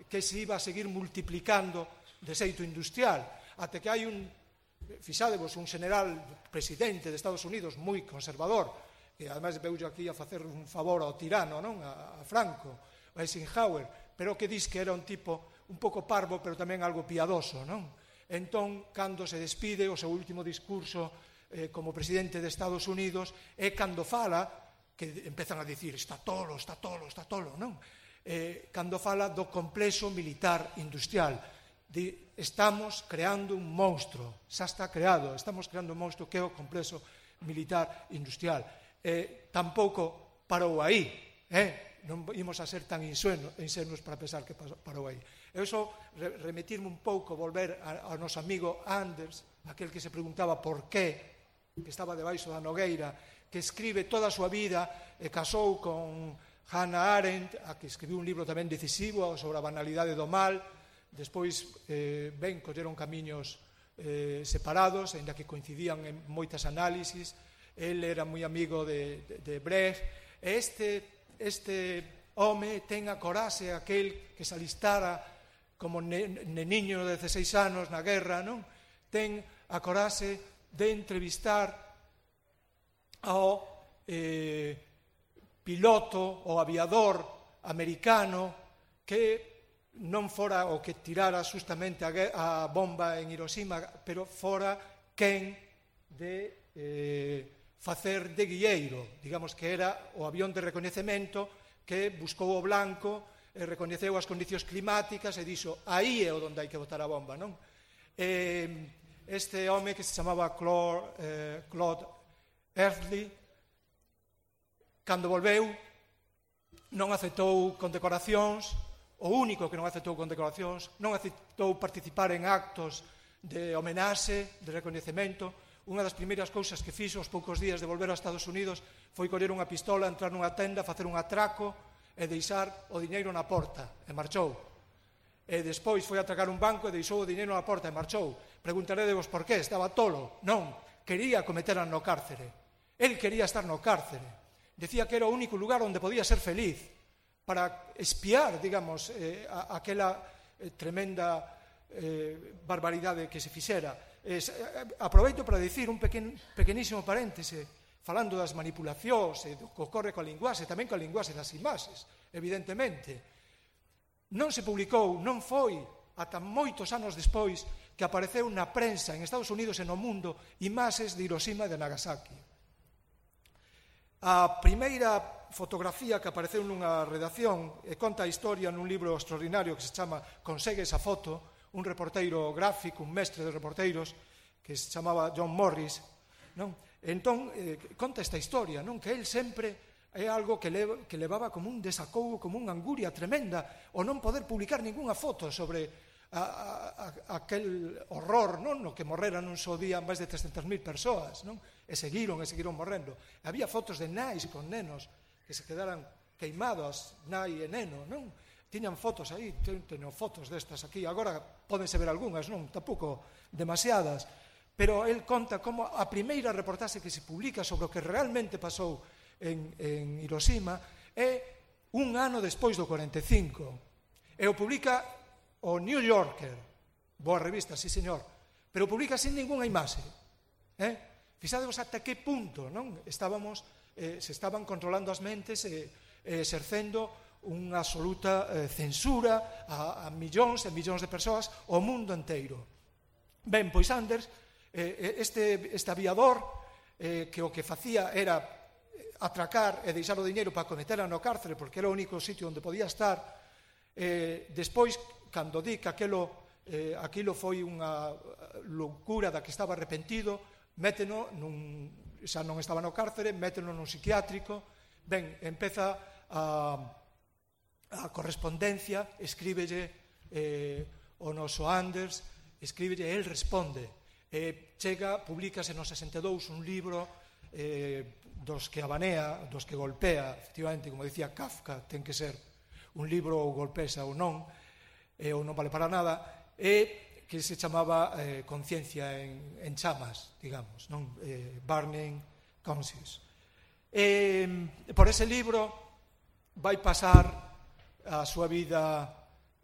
que se iba a seguir multiplicando de xeito industrial, até que hai un, fixádevos, un general presidente de Estados Unidos moi conservador, que ademais veulle aquí a facer un favor ao tirano, non? A, a Franco, a Eisenhower, pero que dis que era un tipo un pouco parvo, pero tamén algo piadoso, non? Entón, cando se despide, o seu último discurso eh, como presidente de Estados Unidos, é cando fala, que empezan a dicir, está tolo, está tolo, está tolo, non? Eh, cando fala do complexo militar industrial, de, estamos creando un monstro, xa está creado, estamos creando un monstro que é o complexo militar industrial. Eh, tampouco parou aí, eh? Non imos a ser tan insenuos para pensar que parou aí. Eu só remitirme un pouco, volver ao noso amigo Anders, aquel que se preguntaba por qué, que estaba debaixo da nogueira, que escribe toda a súa vida, e casou con Hannah Arendt, a que escribiu un libro tamén decisivo sobre a banalidade do mal. Despois, eh, ben, colleron camiños eh, separados, ainda que coincidían en moitas análisis. El era moi amigo de, de, de Brecht. Este... Este home ten a coraxe aquel que se alistara como neniño de dezaseis anos na guerra, non? Ten a coraxe de entrevistar ao eh, piloto ou aviador americano que non fora o que tirara justamente a, a bomba en Hiroshima, pero fora quen de... Eh, facer de guilleiro, digamos que era o avión de recoñecemento que buscou o blanco, e recoñeceu as condicións climáticas e dixo, aí é onde hai que botar a bomba, non? E este home que se chamaba Claude, eh, Claude Earthley, cando volveu, non aceptou condecoracións, o único que non aceptou condecoracións, non aceptou participar en actos de homenaxe, de recoñecemento. Unha das primeiras cousas que fixo aos poucos días de volver a Estados Unidos foi coller unha pistola, entrar nunha tenda, facer un atraco e deixar o diñeiro na porta, e marchou. E despois foi a atracar un banco e deixou o diñeiro na porta e marchou. Preguntarédevos por qué, estaba tolo? Non, quería que o meteran no cárcere. El quería estar no cárcere. Decía que era o único lugar onde podía ser feliz, para espiar, digamos, eh, a, aquela eh, tremenda eh, barbaridade que se fixera. Eh, aproveito para dicir un pequen, pequenísimo paréntese, falando das manipulacións e do que ocorre coa linguaxe, tamén coa linguaxe das imaxes, evidentemente. Non se publicou, non foi ata moitos anos despois que apareceu na prensa en Estados Unidos e no mundo imaxes de Hiroshima e de Nagasaki. A primeira fotografía que apareceu nunha redacción e conta a historia nun libro extraordinario que se chama Consegue esa foto, un reporteiro gráfico, un mestre de reporteiros que se chamaba John Morris, non? Entón, eh, conta esta historia, non? Que el sempre é algo que, le, que levaba como un desacougo, como unha anguria tremenda, o non poder publicar ningunha foto sobre a, a, a, aquel horror, non? No que morreran un só día máis de trescentas mil persoas, non? E seguiron, e seguiron morrendo. E había fotos de nais con nenos que se quedaran queimados, nai e neno, non? Tiñan fotos aí, teño fotos destas aquí, agora pódense ver algunhas, non? Tampouco demasiadas, pero el conta como a primeira reportaxe que se publica sobre o que realmente pasou En, en Hiroshima é un ano despois do cuarenta e cinco e o publica o New Yorker, boa revista, sí señor, pero publica sin ningunha imaxe, eh? Fixadevos ata que punto, non? Estábamos, eh, se estaban controlando as mentes e eh, exercendo unha absoluta eh, censura a, a millóns e millóns de persoas ao mundo inteiro. Ben, pois Anders, eh, este, este aviador eh, que o que facía era atracar e deixar o diñeiro para cometera no cárcere porque era o único sitio onde podía estar, eh, despois, cando di que aquilo, eh, aquilo foi unha loucura da que estaba arrepentido, méteno nun, xa non estaba no cárcere, méteno nun psiquiátrico, ben, empeza a, a correspondencia, escríbelle eh, o noso Anders, escríbelle, el responde, eh, chega, publícase no sesenta e dous un libro eh, dos que abanea, dos que golpea, efectivamente, como dicía Kafka, ten que ser un libro ou golpesa ou non, eh, ou non vale para nada, e que se chamaba eh, Conciencia en, en chamas, digamos, non? Eh, Burning Conscience. Eh, por ese libro vai pasar a súa vida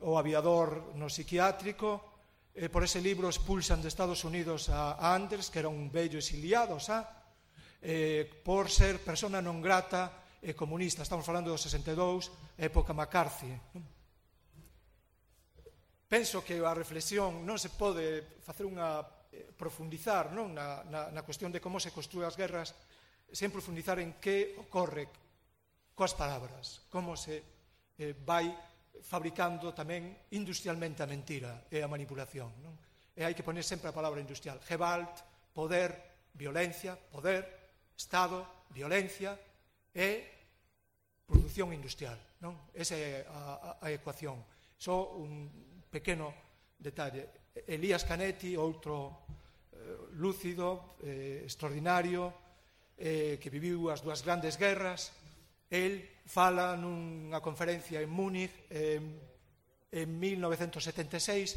o aviador no psiquiátrico, eh, por ese libro expulsan de Estados Unidos a Anders, que era un bello exiliado, xa, Eh, por ser persona non grata e comunista. Estamos falando do sesenta e dous, época McCarthy. Penso que a reflexión non se pode facer unha eh, profundizar, non? Na, na, na cuestión de como se construen as guerras, sen profundizar en que ocorre coas palabras, como se eh, vai fabricando tamén industrialmente a mentira e a manipulación, non? E hai que poner sempre a palabra industrial. Gewalt, poder, violencia, poder, Estado, violencia e produción industrial, non? Esa é a, a, a ecuación. Só un pequeno detalle. Elías Canetti, outro eh, lúcido, eh, extraordinario, eh, que viviu as dúas grandes guerras, el fala nunha conferencia en Múnich eh, en mil novecentos setenta e seis,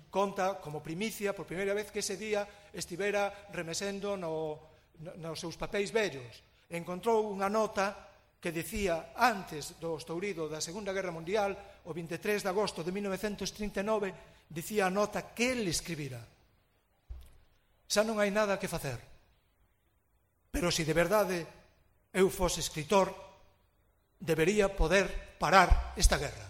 conta como primicia, por primeira vez, que ese día estivera remesendo no nos seus papéis vellos, encontrou unha nota que decía antes do estourido da Segunda Guerra Mundial, o vinte e tres de agosto de mil novecentos trinta e nove, dicía a nota que el escribira. Xa non hai nada que facer, pero se de verdade eu fose escritor, debería poder parar esta guerra.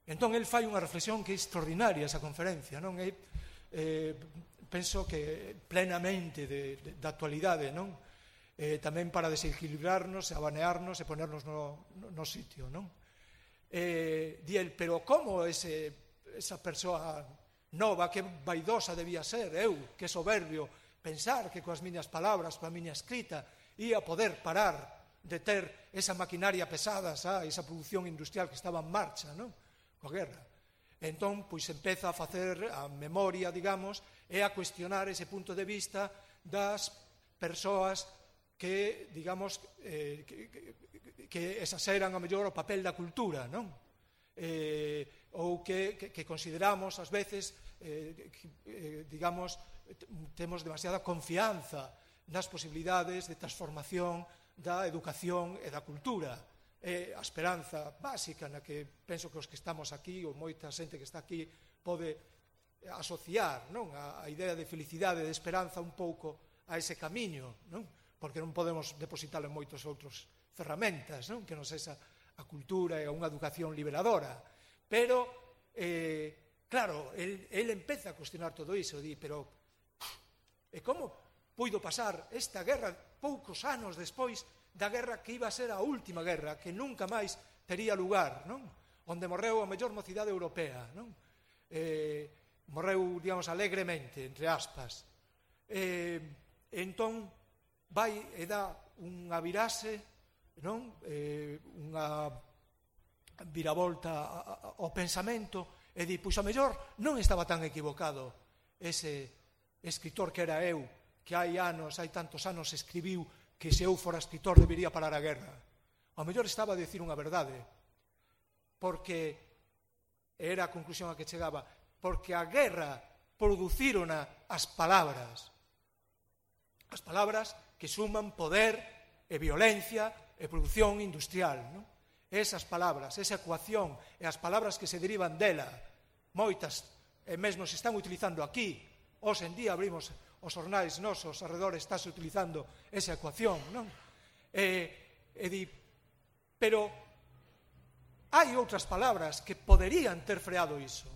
Entón, el fai unha reflexión que é extraordinaria, esa conferencia, non é... Eh, penso que plenamente de, de, de actualidade, non? Eh, tamén para desequilibrarnos, abanearnos e ponernos no, no, no sitio, non? Eh, di el, pero como ese, esa persoa nova, que vaidosa debía ser, eu, que soberbio, pensar que coas miñas palabras, coa miña escrita, ia poder parar de ter esa maquinaria pesada, xa, esa produción industrial que estaba en marcha, non? Coa guerra. Entón, pois, empeza a facer a memoria, digamos, e a cuestionar ese punto de vista das persoas que, digamos, eh, que, que, que exaseran a mellor o papel da cultura, non? Eh, ou que, que, que consideramos, ás veces, eh, que, eh, digamos, temos demasiada confianza nas posibilidades de transformación da educación e da cultura. É a esperanza básica na que penso que os que estamos aquí, ou moita xente que está aquí, pode asociar, non? A, a idea de felicidade, de esperanza un pouco a ese camiño, non? Porque non podemos depositar en moitos outros ferramentas, non? Que non sexa a cultura e unha educación liberadora. Pero eh, claro, el, el empeza a cuestionar todo iso, di, pero e como puido pasar esta guerra poucos anos despois da guerra que iba a ser a última guerra, que nunca máis tería lugar, non? Onde morreu a mellor mocidade europea, non? Eh, morreu, digamos, alegremente, entre aspas. Eh, entón, vai e dá unha virase, non? Eh, unha viravolta ao pensamento e di, pois a mellor non estaba tan equivocado ese escritor que era eu, que hai anos, hai tantos anos escribiu que se eu fora escritor debería parar a guerra. Ao mellor estaba a dicir unha verdade, porque era a conclusión a que chegaba, porque a guerra producírona as palabras, as palabras que suman poder e violencia e produción industrial, non? Esas palabras, esa ecuación e as palabras que se derivan dela, moitas e mesmo se están utilizando aquí. Hoxe en día abrimos os jornais nosos arredores, estáse utilizando esa ecuación, non? E, e di, pero hai outras palabras que poderían ter freado iso.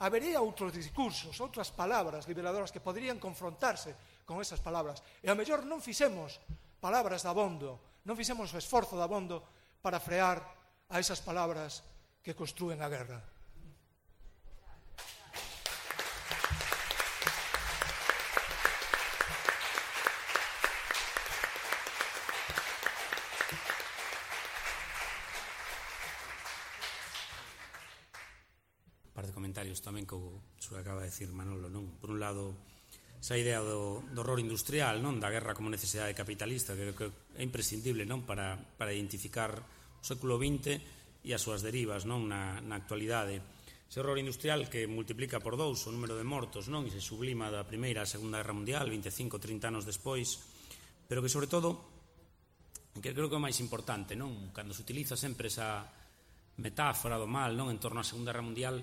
Habería outros discursos, outras palabras liberadoras que poderían confrontarse con esas palabras. E a mellor non fixemos palabras dabondo, non fixemos o esforzo dabondo para frear a esas palabras que construen a guerra. Un par de comentarios tamén que o que acaba de decir Manolo, non? Por un lado, esa idea do, do horror industrial, non? Da guerra como necesidade capitalista, que, que é imprescindible, non? Para, para identificar o século vinte e as súas derivas, non? Na, na actualidade. Ese horror industrial que multiplica por dous o número de mortos, non? E se sublima da Primeira a Segunda Guerra Mundial, veinticinco, trinta anos despois, pero que, sobre todo, que creo que é o máis importante, non? Cando se utiliza sempre esa metáfora do mal, non? En torno á Segunda Guerra Mundial,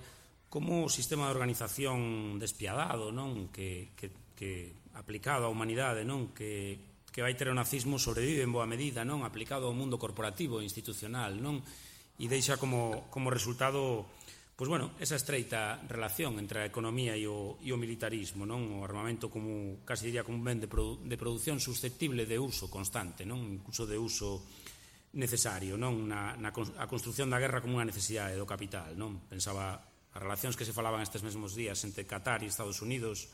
como o sistema de organización despiadado, non? Que, que, que aplicado á humanidade, non? Que, que vai ter o nazismo sobrevive en boa medida, non? Aplicado ao mundo corporativo e institucional, non? E deixa como, como resultado, pois bueno, esa estreita relación entre a economía e o, e o militarismo, non? O armamento como, casi diría, como un ben de, produ de produción susceptible de uso constante, non? Incluso de uso necesario, non? Na, na a construción da guerra como unha necesidade do capital, non? Pensaba as relacións que se falaban estes mesmos días entre Qatar e Estados Unidos,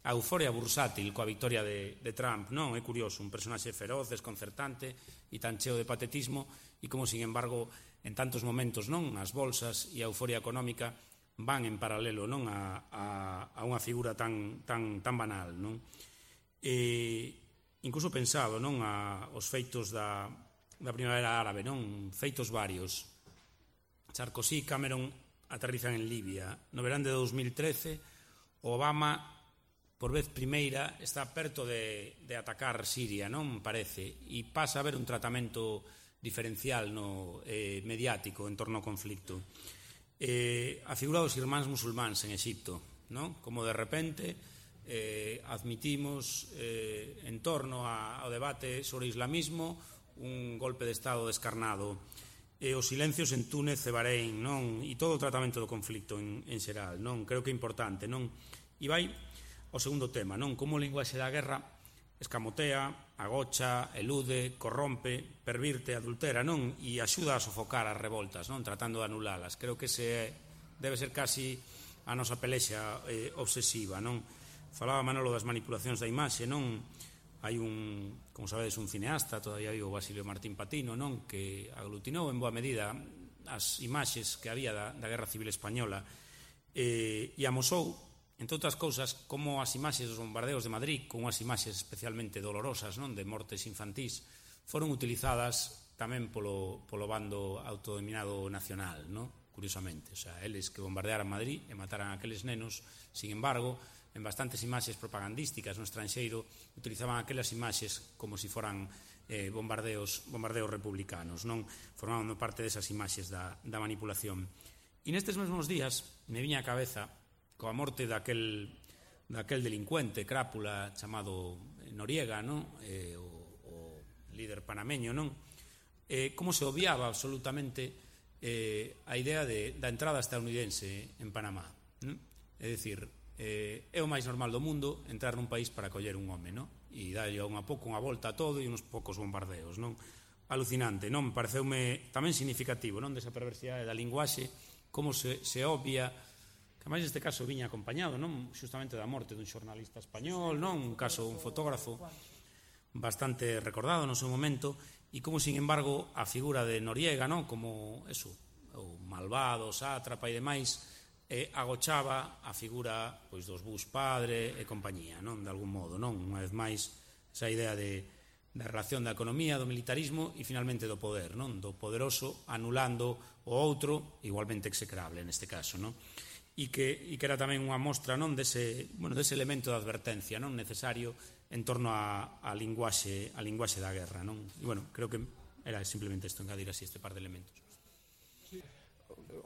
a euforia bursátil coa victoria de, de Trump, non? É curioso, un personaxe feroz, desconcertante e tan cheo de patetismo, e como, sin embargo, en tantos momentos, non? As bolsas e a euforia económica van en paralelo, non? A, a, a unha figura tan, tan, tan banal, non? E incluso pensado, non? A, os feitos da, da Primavera Árabe, non? Feitos varios. Sarkozy, Cameron aterrizan en Libia. No verán de dos mil trece, Obama, por vez primeira, está perto de, de atacar Siria, non parece, e pasa a haber un tratamento diferencial no, eh, mediático en torno ao conflicto. Eh, a figura dos irmáns musulmáns en Exipto, non? Como de repente eh, admitimos eh, en torno a, ao debate sobre o islamismo un golpe de Estado descarnado, e os silencios en Túnez e Bahrein, non? E todo o tratamento do conflicto en, en xeral, non? Creo que é importante, non? E vai ao segundo tema, non? Como o linguaxe da guerra escamotea, agocha, elude, corrompe, pervirte, adultera, non? E axuda a sofocar as revoltas, non? Tratando de anulalas. Creo que ese debe ser casi a nosa pelexa eh, obsesiva, non? Falaba Manolo das manipulacións da imaxe, non? Hai un, como sabedes, un cineasta, todavía vivo, Basilio Martín Patino, non? Que aglutinou en boa medida as imaxes que había da, da Guerra Civil Española eh, e amosou, entre outras cousas, como as imaxes dos bombardeos de Madrid, con unhas imaxes especialmente dolorosas, non? De mortes infantís, foron utilizadas tamén polo, polo bando autodominado nacional, non? Curiosamente, o sea, eles que bombardearan Madrid e mataran a aqueles nenos, sin embargo, en bastantes imaxes propagandísticas no estranxeiro utilizaban aquelas imaxes como se si foran eh, bombardeos, bombardeos republicanos, non? Formando parte desas imaxes da, da manipulación. E nestes mesmos días me viña a cabeza coa morte daquel, daquel delincuente, crápula, chamado Noriega, non? Eh, o, o líder panameño, non? Eh, como se obviaba absolutamente eh, a idea de, da entrada estadounidense en Panamá. Non? É dicir, eh, é o máis normal do mundo entrar nun país para coller un home, non? E dalle unha pouco unha volta a todo e uns poucos bombardeos, non? Alucinante, non? Pareceume tamén significativo, non? Desa perversidade da linguaxe, como se, se obvia, que máis neste caso viña acompañado, non? Xustamente da morte dun xornalista español, non? Un caso, un fotógrafo bastante recordado no seu momento, e como, sin embargo, a figura de Noriega, non? Como, eso, o malvado, sátrapa e demais, eh, agochaba a figura, pois, dos Bush padre e compañía, non? De algún modo, non? Unha vez máis, esa idea de da relación da economía, do militarismo e finalmente do poder, non? Do poderoso anulando o outro, igualmente execrable neste caso, non? E que, e que era tamén unha mostra, non, dese, bueno, dese elemento de advertencia, non, necesario en torno a, a linguaxe a linguaxe da guerra, non? E, bueno, creo que era simplemente isto, engadir así este par de elementos.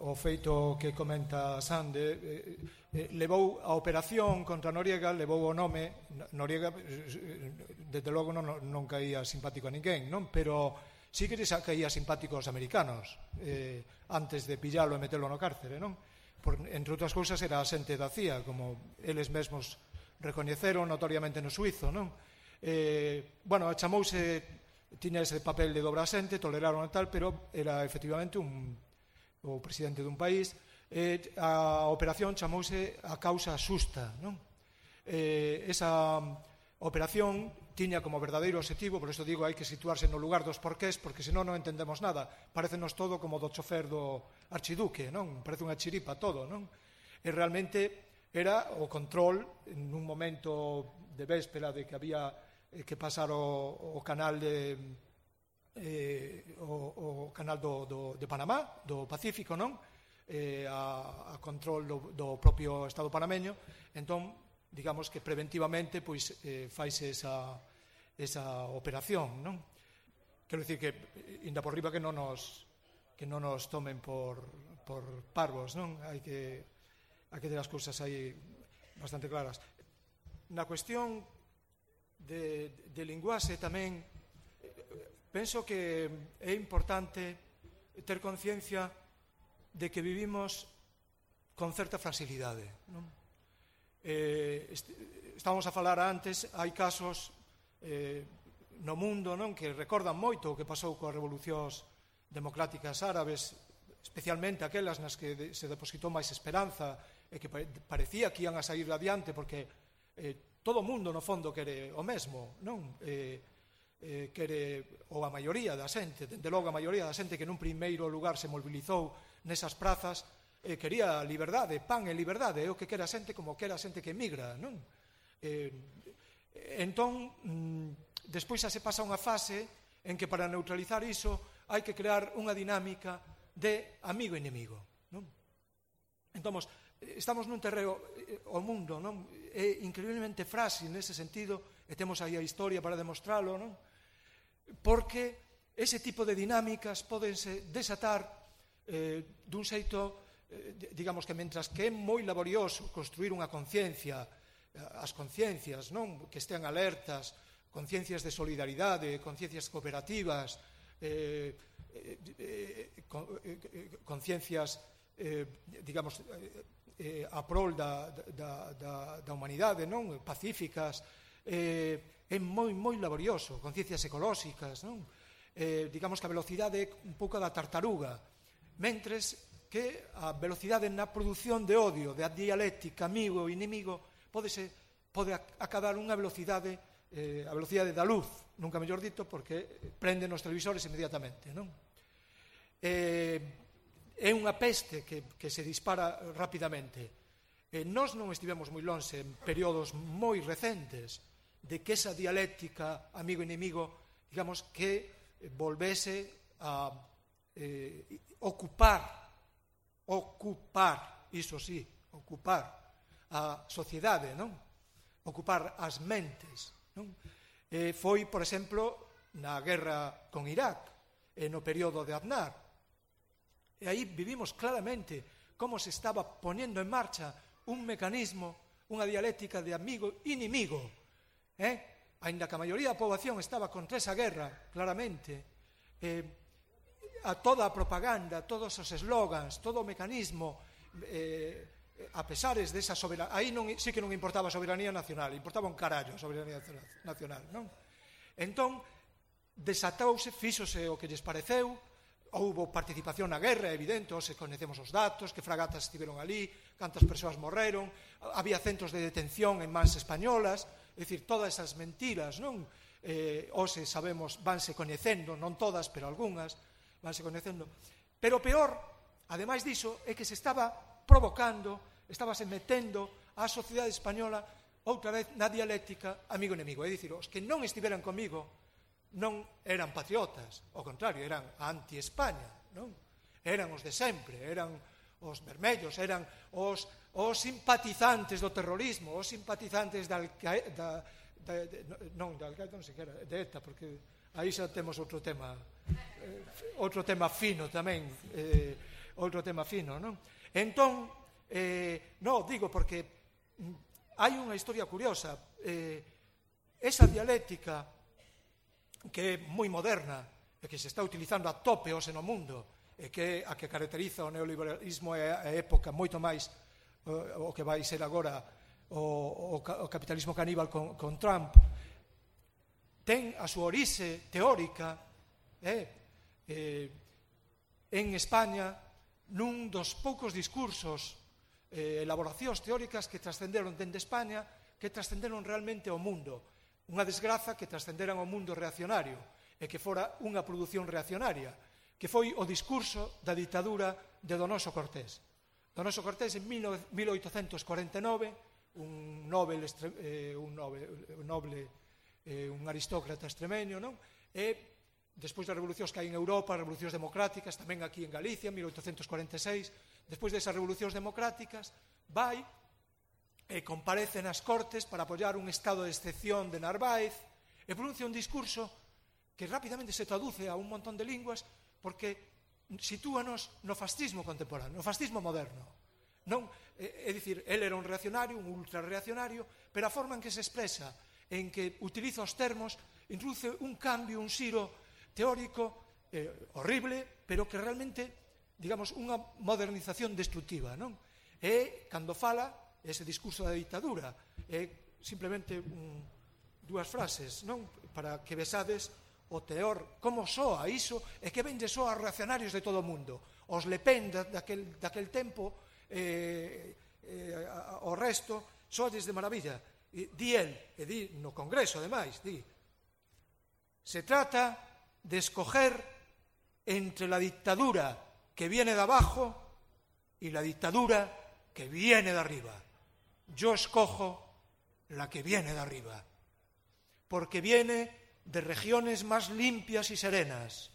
O feito que comenta Sande, eh, eh, levou a operación contra Noriega, levou o nome. Noriega, desde logo, non, non caía simpático a ninguén, non? Pero sí que caía simpático aos americanos, eh, antes de pillalo e metelo no cárcere, non? Por, entre outras cousas, era asente da C I A, como eles mesmos recoñeceron notoriamente no suizo, non? Eh, bueno, chamouse, tiña ese papel de dobra asente, toleraron e tal, pero era efectivamente un, o presidente dun país. Eh, a operación chamouse a causa xusta, non? Eh, esa operación tiña como verdadeiro obxectivo, por isto digo, hai que situarse no lugar dos porqués, porque senón non entendemos nada. Parécenos todo como do chofer do archiduque, non? Parece unha chiripa todo, non? E realmente era o control, en un momento de véspera de que había eh, que pasar o, o canal de eh, o, o canal do, do, de Panamá, do Pacífico, non? Eh, a, a control do, do propio Estado panameño. Entón, digamos que preventivamente pois eh, faise esa, esa operación, non? Quero dicir que, inda por riba, que non nos que non nos tomen por, por parvos, non? Hai que hai que ter as cousas aí bastante claras. Na cuestión de, de linguaxe tamén penso que é importante ter conciencia de que vivimos con certa fragilidade, non? Eh, est- estábamos a falar antes, hai casos eh, no mundo, non, que recordan moito o que pasou coas revolucións democráticas árabes, especialmente aquelas nas que de, se depositou máis esperanza e que pare, parecía que ian a sair adiante, porque eh, todo o mundo no fondo quere o mesmo, non? Eh, eh, quere, ou a maioría da xente, dende logo a maioría da xente que nun primeiro lugar se mobilizou nesas prazas, eh, quería liberdade, pan e liberdade, é o que quere a xente como quere a xente que emigra, non? Eh, entón, mm, despois xa se pasa unha fase en que para neutralizar iso hai que crear unha dinámica de amigo-inimigo, non? Entón, estamos nun terreo, o mundo, non? É increíblemente frágil nese sentido, e temos aí a historia para demostralo, non? Porque ese tipo de dinámicas podense desatar eh, dun xeito, eh, digamos que mentras que é moi laborioso construir unha conciencia, as conciencias, non? Que estean alertas, conciencias de solidaridade, conciencias cooperativas, eh, eh, eh, con, eh, conciencias, eh, digamos, eh, a prol da, da, da, da humanidade, non? Pacíficas, eh, é moi, moi laborioso, conciencias ecolóxicas, non? Eh, digamos que a velocidade é un pouco da tartaruga, mentres que a velocidade na produción de odio, de dialéctica, amigo e inimigo, pode, ser, pode acadar unha velocidade, eh, a velocidade da luz, nunca mellor dito, porque prenden os televisores inmediatamente, non? Eh, é unha peste que, que se dispara rapidamente. Eh, nós non estivemos moi lonxe en períodos moi recentes de que esa dialéctica amigo-inimigo, digamos, que volvese a eh, ocupar, ocupar, iso sí, ocupar a sociedade, non? Ocupar as mentes, non? Eh, foi, por exemplo, na guerra con Irak, e no período de Aznar. E aí vivimos claramente como se estaba ponendo en marcha un mecanismo, unha dialéctica de amigo-inimigo, eh? Ainda que a maioría da poboación estaba contra esa guerra, claramente, eh, a toda a propaganda, todos os eslogans, todo o mecanismo, eh, a pesares desa soberanía, aí non, sí que non importaba a soberanía nacional, importaba un carallo a soberanía nacional, non? Entón, desatouse, fíxose o que lles pareceu, houbo participación na guerra, evidente, se conhecemos os datos, que fragatas estiveron ali, cantas persoas morreron, había centros de detención en mans españolas, é dicir, todas esas mentiras, non? Eh, hoxe sabemos, vanse coñecendo, non todas, pero algunhas, vanse coñecendo. Pero o peor, ademais diso, é que se estaba provocando, estábase metendo a sociedade española outra vez na dialéctica amigo-enemigo. É dicir, os que non estiveran comigo non eran patriotas, ao contrario, eran anti-España, non? Eran os de sempre, eran os vermellos, eran os, os simpatizantes do terrorismo, os simpatizantes da, da, da, de, non, da Al-Qaeda non sequera, de ETA, porque aí xa temos outro tema, eh, outro tema fino tamén, eh, outro tema fino, non? Entón, eh, non, digo porque hai unha historia curiosa, eh, esa dialéctica que é moi moderna e que se está utilizando a tope hoxe no mundo e que a que caracteriza o neoliberalismo é a época moito máis o, o que vai ser agora o, o, o capitalismo caníbal con, con Trump, ten a súa orixe teórica eh, eh, en España nun dos poucos discursos, eh, elaboracións teóricas que trascenderon dende España, que trascenderon realmente ao mundo. Unha desgraza que trascenderan ao mundo reaccionario e que fora unha produción reaccionaria, que foi o discurso da ditadura de Donoso Cortés. Donoso Cortés, en mil oitocentos cuarenta e nove, un noble, eh, un noble, un, noble eh, un aristócrata extremeño, non? E despois das revolucións que hai en Europa, revolucións democráticas, tamén aquí en Galicia, en mil oitocentos cuarenta e seis, despois desas revolucións democráticas, vai e comparece nas Cortes para apoiar un estado de excepción de Narváez e pronuncia un discurso que rapidamente se traduce a un montón de linguas porque sitúanos no fascismo contemporáneo, no fascismo moderno. Non, é, é dicir, ele era un reaccionario, un ultrarreaccionario, pero a forma en que se expresa, en que utiliza os termos, introduce un cambio, un xiro teórico eh, horrible, pero que realmente, digamos, unha modernización destructiva, non? E, cando fala, ese discurso da ditadura, é simplemente un, dúas frases, non? Para que vesades o teor, como soa iso, e que vende soa a reaccionarios de todo o mundo. Os Le Pen daquel, daquel tempo, eh, eh, o resto, soades de maravilla. E, di el, e di no Congreso, ademais, di, se trata de escoger entre la dictadura que viene de abajo y la dictadura que viene de arriba. Yo escojo la que viene de arriba, porque viene de regiones más limpias y serenas.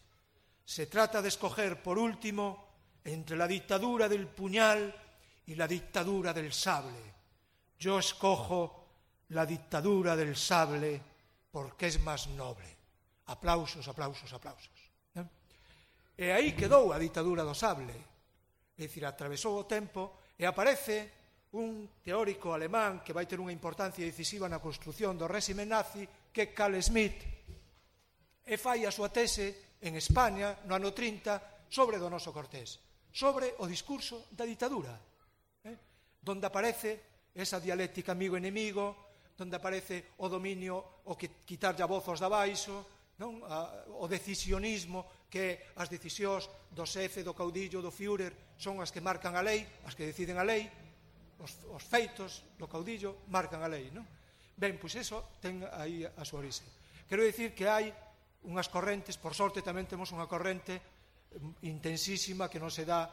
Se trata de escoger, por último, entre la dictadura del puñal y la dictadura del sable. Yo escojo la dictadura del sable porque es más noble. Aplausos, aplausos, aplausos. ¿Eh? E aí quedou a ditadura do sable. É dicir, atravesou o tempo e aparece un teórico alemán que vai ter unha importancia decisiva na construción do réxime nazi, que é Carl Schmitt, e fai a súa tese en España no ano trinta sobre Donoso Cortés, sobre o discurso da ditadura, eh? donde aparece esa dialéctica amigo-enemigo, donde aparece o dominio, o que quitarlle a voz aos de abaixo, non? A, o decisionismo, que as decisións do xefe, do caudillo, do Führer son as que marcan a lei, as que deciden a lei, os, os feitos do caudillo marcan a lei, non? Ben, pois eso ten aí a súa orixe. Quero dicir que hai unhas correntes, por sorte tamén temos unha corrente intensísima que non se dá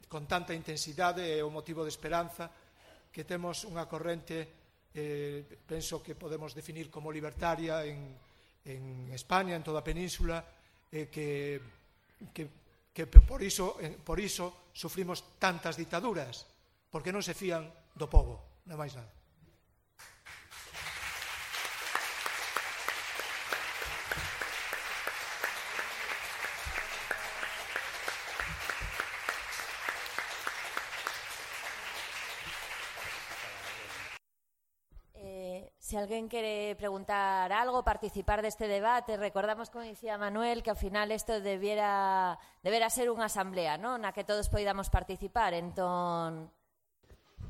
con tanta intensidade, é o motivo de esperanza, que temos unha corrente, eh, penso que podemos definir como libertaria en, en España, en toda a península, eh, que, que, que por iso, eh, por iso sufrimos tantas ditaduras, porque non se fían do pobo, non máis nada. si alguén quere preguntar algo, participar deste debate, recordamos, como dicía Manuel, que ao final isto debiera, debera ser unha asamblea, ¿no?, na que todos poidamos participar. Entón,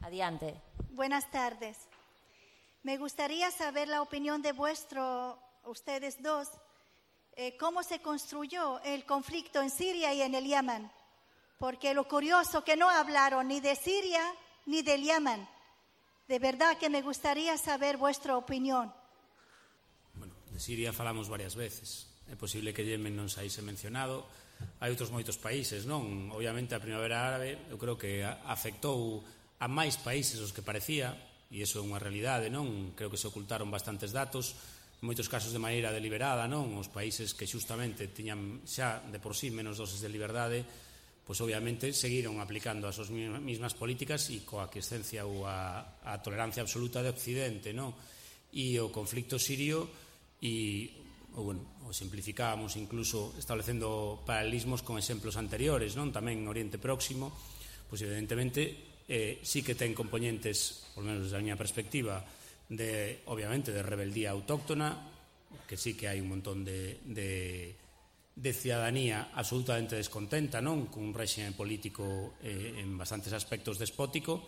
adiante. Buenas tardes. Me gustaría saber la opinión de vuestro, ustedes dos, eh, cómo se construyó el conflicto en Siria y en el Yemen. Porque lo curioso que no hablaron ni de Siria ni del Yemen. De verdad que me gustaría saber vuestra opinión. Bueno, de Siria falamos varias veces. É posible que Yemen non saíse mencionado. Hai outros moitos países, non? Obviamente a Primavera Árabe eu creo que afectou a máis países os que parecía, e iso é unha realidade, non? Creo que se ocultaron bastantes datos, en moitos casos de maneira deliberada, non? Os países que xustamente tiñan xa de por sí menos doses de liberdade, pois obviamente seguiron aplicando as súas mesmas políticas e coa aquiescencia ou a, a tolerancia absoluta de Occidente, non? E o conflicto sirio, e, ou, bueno, o simplificábamos incluso establecendo paralelismos con exemplos anteriores, non? Tamén en Oriente Próximo, pois evidentemente eh, sí que ten componentes, por menos desde a miña perspectiva, de, obviamente, de rebeldía autóctona, que sí que hai un montón de... de de cidadanía absolutamente descontenta, non? Cun réxime político eh, en bastantes aspectos despótico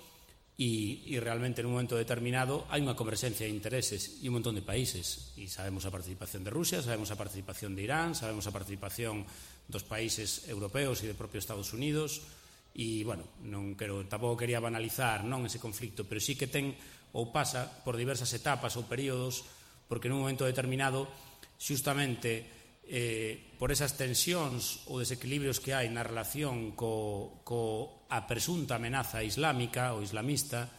e, e realmente en un momento determinado hai unha converxencia de intereses e un montón de países, e sabemos a participación de Rusia, sabemos a participación de Irán, sabemos a participación dos países europeos e do propio Estados Unidos, e, bueno, non quero, tampouco quería banalizar, non, ese conflicto, pero sí que ten ou pasa por diversas etapas ou períodos, porque nun momento determinado xustamente Eh, por esas tensións ou desequilibrios que hai na relación co, co a presunta amenaza islámica ou islamista,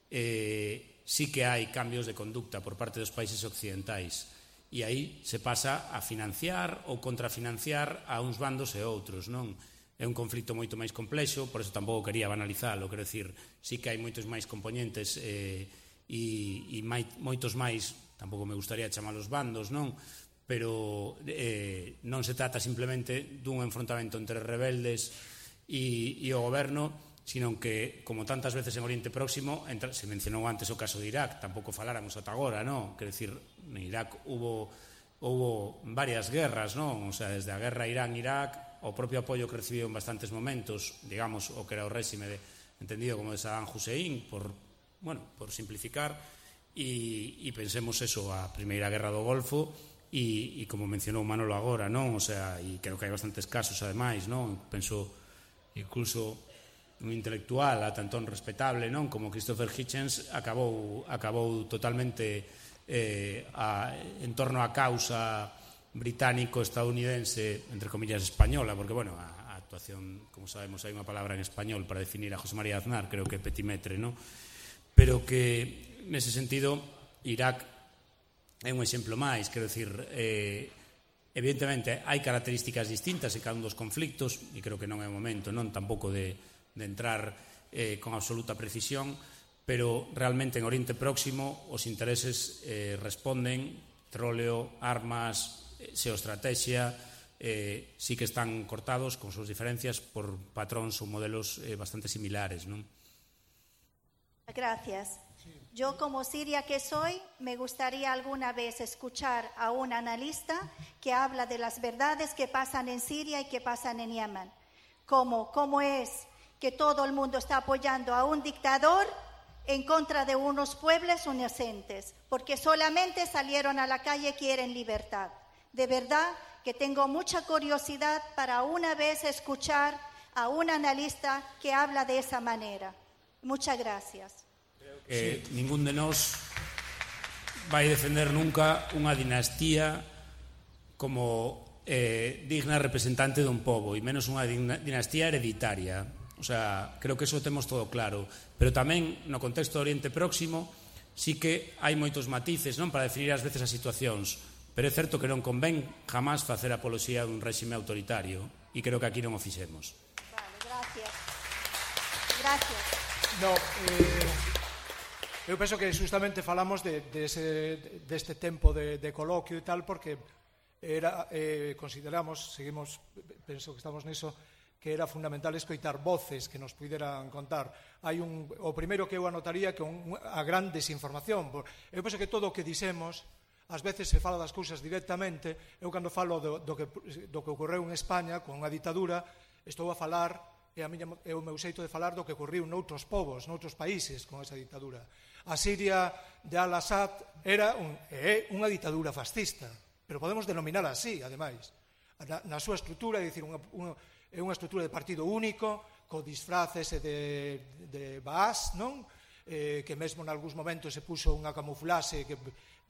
eh, sí que hai cambios de conducta por parte dos países occidentais, e aí se pasa a financiar ou contrafinanciar a uns bandos e outros, non? É un conflito moito máis complexo, por eso tampouco quería banalizalo, quero dicir, sí que hai moitos máis componentes eh, e, e mai, moitos máis, tampouco me gustaría chamalos bandos, non? Pero eh, non se trata simplemente dun enfrontamento entre rebeldes e, e o goberno, sino que, como tantas veces en Oriente Próximo, entra, se mencionou antes o caso de Irak, tampouco faláramos ata agora, non? Quer decir, en Irak hubo, hubo varias guerras, non? O sea, desde a guerra Irán-Irak, o propio apoio que recibiu en bastantes momentos, digamos, o que era o réxime de, entendido como de Saddam Hussein, por, bueno, por simplificar, e, e pensemos eso, a Primeira Guerra do Golfo, E, e como mencionou Manolo agora, non? O sea, e creo que hai bastantes casos ademais, non? Penso incluso un intelectual a tantón respetable, non? Como Christopher Hitchens acabou, acabou totalmente eh, a, en torno á causa británico-estadounidense, entre comillas española, porque, bueno, a, a actuación, como sabemos, hai unha palabra en español para definir a José María Aznar, creo que é petimetre, non? Pero que, nese sentido, Irak é un exemplo máis, quero dicir, eh, evidentemente hai características distintas en cada un dos conflictos, e creo que non é o momento, non tampouco de, de entrar eh, con absoluta precisión, pero realmente en Oriente Próximo os intereses eh, responden, petróleo, armas, eh, xeoestrategia, eh, sí que están cortados con súas diferencias por patróns ou modelos eh, bastante similares, non? Gracias. Yo, como siria que soy, me gustaría alguna vez escuchar a un analista que habla de las verdades que pasan en Siria y que pasan en Yemen. Como, cómo es que todo el mundo está apoyando a un dictador en contra de unos pueblos inocentes, porque solamente salieron a la calle y quieren libertad. De verdad que tengo mucha curiosidad para una vez escuchar a un analista que habla de esa manera. Muchas gracias. Eh, sí. Ningún de nós vai defender nunca unha dinastía como eh, digna representante dun pobo, e menos unha dinastía hereditaria. O sea, creo que eso temos todo claro. Pero tamén, no contexto do Oriente Próximo, sí que hai moitos matices, non, para definir ás veces as situacións. Pero é certo que non convén jamás facer apoloxía dun réxime autoritario, e creo que aquí non o fixemos. Vale, gracias. Gracias. No, eh... Eu penso que justamente falamos de, de ese, deste tempo de, de coloquio e tal, porque era, eh, consideramos, seguimos, penso que estamos niso, que era fundamental escoitar voces que nos puderan contar. Hai un, o primeiro que eu anotaría que un, a gran desinformación. Eu penso que todo o que dixemos, ás veces se fala das cousas directamente. Eu cando falo do, do, que, do que ocorreu en España con a ditadura, estou a falar, é, a miña, é o meu xeito de falar do que ocorriu noutros povos, noutros países con esa ditadura. A Siria de Al-Assad era un, é unha ditadura fascista, pero podemos denominar así, ademais. Na, na súa estrutura, é dicir, unha, unha, é unha estrutura de partido único, co disfraces de, de Baas, non? Eh, que mesmo en algúns momentos se puso unha camuflaxe que,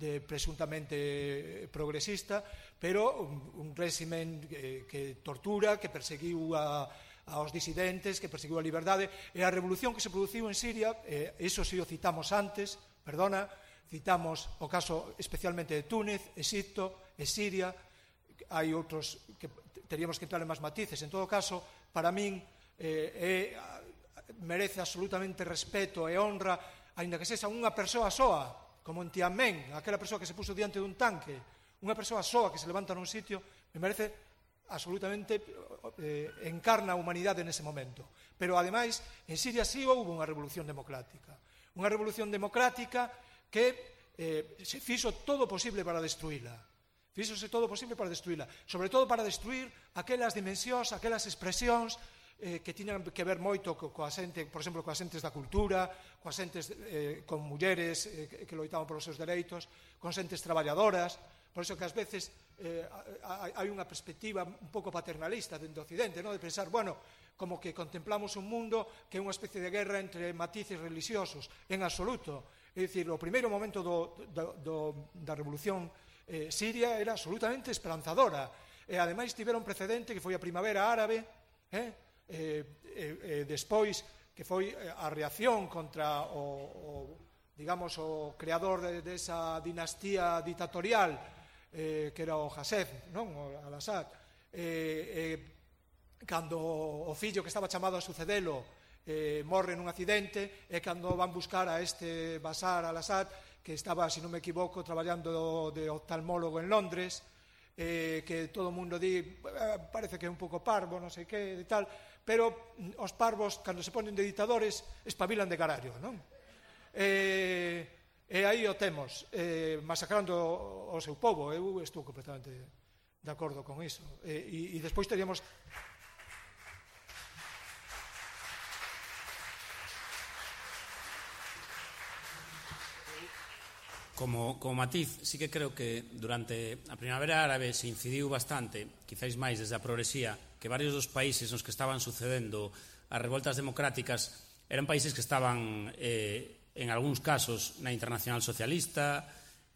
de presuntamente progresista, pero un, un réximen que, que tortura, que perseguiu a, aos disidentes, que perseguiu a liberdade, e a revolución que se produciu en Siria, eh, eso si o citamos antes, perdona, citamos o caso especialmente de Túnez, Egipto e Siria, hai outros que teríamos que entrar en máis matices. En todo caso, para min eh, eh, merece absolutamente respeto e honra, aínda que sexa unha persoa soa, como en Tianmen, aquela persoa que se puso diante dun tanque, unha persoa soa que se levanta nun sitio, me merece absolutamente, eh, encarna a humanidade nese momento. Pero, ademais, en Siria sí houve unha revolución democrática. Unha revolución democrática que eh, se fixo todo o posible para destruíla. Fíxose todo o posible para destruíla, sobre todo para destruir aquelas dimensións, aquelas expresións eh, que tiñan que ver moito co, coa xente, por exemplo, coas xentes da cultura, coas xentes eh, con mulleres eh, que loitaban polos seus dereitos, con xentes traballadoras. Por iso que ás veces eh, hai unha perspectiva un pouco paternalista dentro do Occidente, ¿no? De pensar, bueno, como que contemplamos un mundo que é unha especie de guerra entre matices religiosos, en absoluto. É dicir, o primeiro momento do, do, do, da revolución Eh, Siria era absolutamente esperanzadora, e ademais tiveron precedente que foi a Primavera Árabe, eh, eh, eh, despois que foi a reacción contra o, o digamos, o creador de, de esa dinastía ditatorial eh, que era o Hasef, non? O Al-Assad, eh, eh, cando o fillo que estaba chamado a sucedelo eh, morre nun accidente, e cando van buscar a este Bashar al-Assad, que estaba, se non me equivoco, traballando de oftalmólogo en Londres, eh, que todo o mundo di, eh, parece que é un pouco parvo, non sei que, e tal, pero os parvos, cando se ponen de ditadores, espabilan de carallo, non? E, e aí o temos, eh, masacrando o seu povo. Eu estou completamente de acordo con iso. E, e, e despois teríamos... Como, como matiz, sí que creo que durante a Primavera Árabe se incidiu bastante, quizáis máis desde a progresía, que varios dos países nos que estaban sucedendo as revoltas democráticas eran países que estaban, eh, en algúns casos, na Internacional Socialista,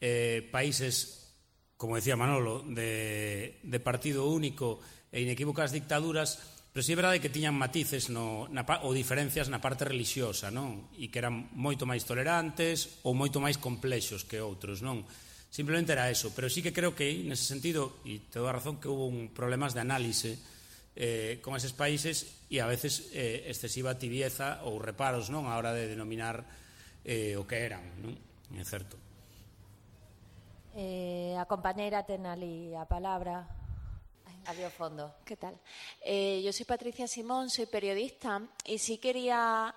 eh, países, como decía Manolo, de, de partido único e inequívocas dictaduras, pero sí é verdade que tiñan matices no, na, ou diferencias na parte religiosa, non? E que eran moito máis tolerantes ou moito máis complexos que outros, non? Simplemente era eso, pero sí que creo que, nese sentido, e te dou a razón, que hubo un problemas de análise eh, con eses países e a veces eh, excesiva tibieza ou reparos, non? A hora de denominar eh, o que eran, non? É certo. Eh, a compañeira ten ali a palabra. Adiós, fondo. ¿Qué tal? Eh, yo soy Patricia Simón, soy periodista y sí quería,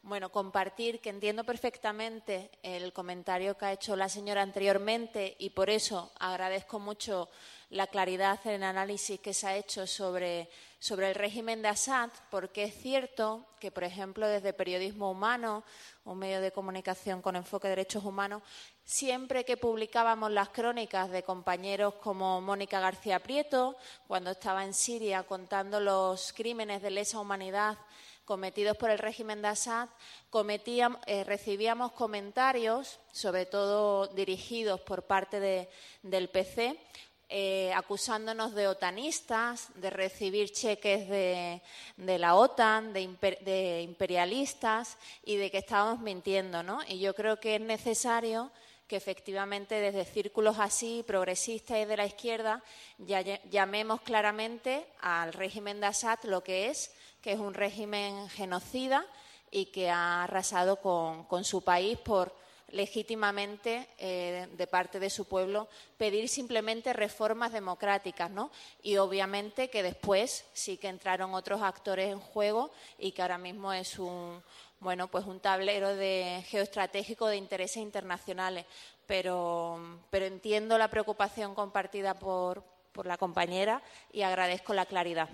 bueno, compartir que entiendo perfectamente el comentario que ha hecho la señora anteriormente y por eso agradezco mucho la claridad en el análisis que se ha hecho sobre, sobre el régimen de Assad, porque es cierto que, por ejemplo, desde Periodismo Humano, un medio de comunicación con enfoque de derechos humanos, siempre que publicábamos las crónicas de compañeros como Mónica García Prieto, cuando estaba en Siria contando los crímenes de lesa humanidad cometidos por el régimen de Assad, cometíamos, eh, recibíamos comentarios, sobre todo dirigidos por parte de, del P C, eh, acusándonos de otanistas, de recibir cheques de, de la OTAN, de, imper, de imperialistas y de que estábamos mintiendo, ¿no? Y yo creo que es necesario que efectivamente desde círculos así, progresistas y de la izquierda, ya llamemos claramente al régimen de Assad lo que es, que es un régimen genocida y que ha arrasado con, con su país por, legítimamente eh, de parte de su pueblo pedir simplemente reformas democráticas, ¿no? Y obviamente que después sí que entraron otros actores en juego y que ahora mismo es un, bueno, pues un tablero de geoestratégico de intereses internacionales. Pero, pero entiendo la preocupación compartida por, por la compañera y agradezco la claridad.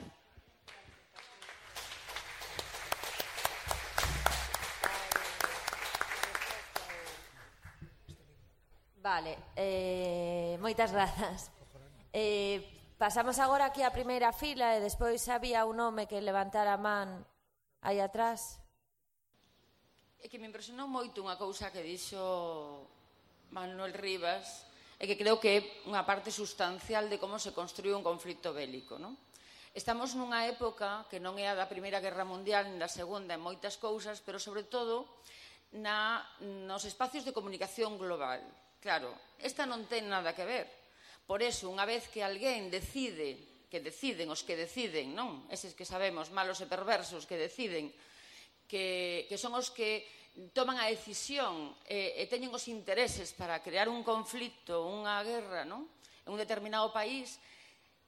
Vale, eh, moitas grazas. Eh, pasamos agora aquí á primeira fila e despois había un home que levantara a man aí atrás. É que me impresionou moito unha cousa que dixo Manuel Rivas e que creo que é unha parte sustancial de como se construí un conflito bélico, non? Estamos nunha época que non é a da Primeira Guerra Mundial nin da Segunda en moitas cousas, pero sobre todo na, nos espacios de comunicación global. Claro, esta non ten nada que ver. Por eso, unha vez que alguén decide, que deciden os que deciden, non? Eses que sabemos, malos e perversos, que deciden, que, que son os que toman a decisión e, e teñen os intereses para crear un conflito, unha guerra, non? En un determinado país,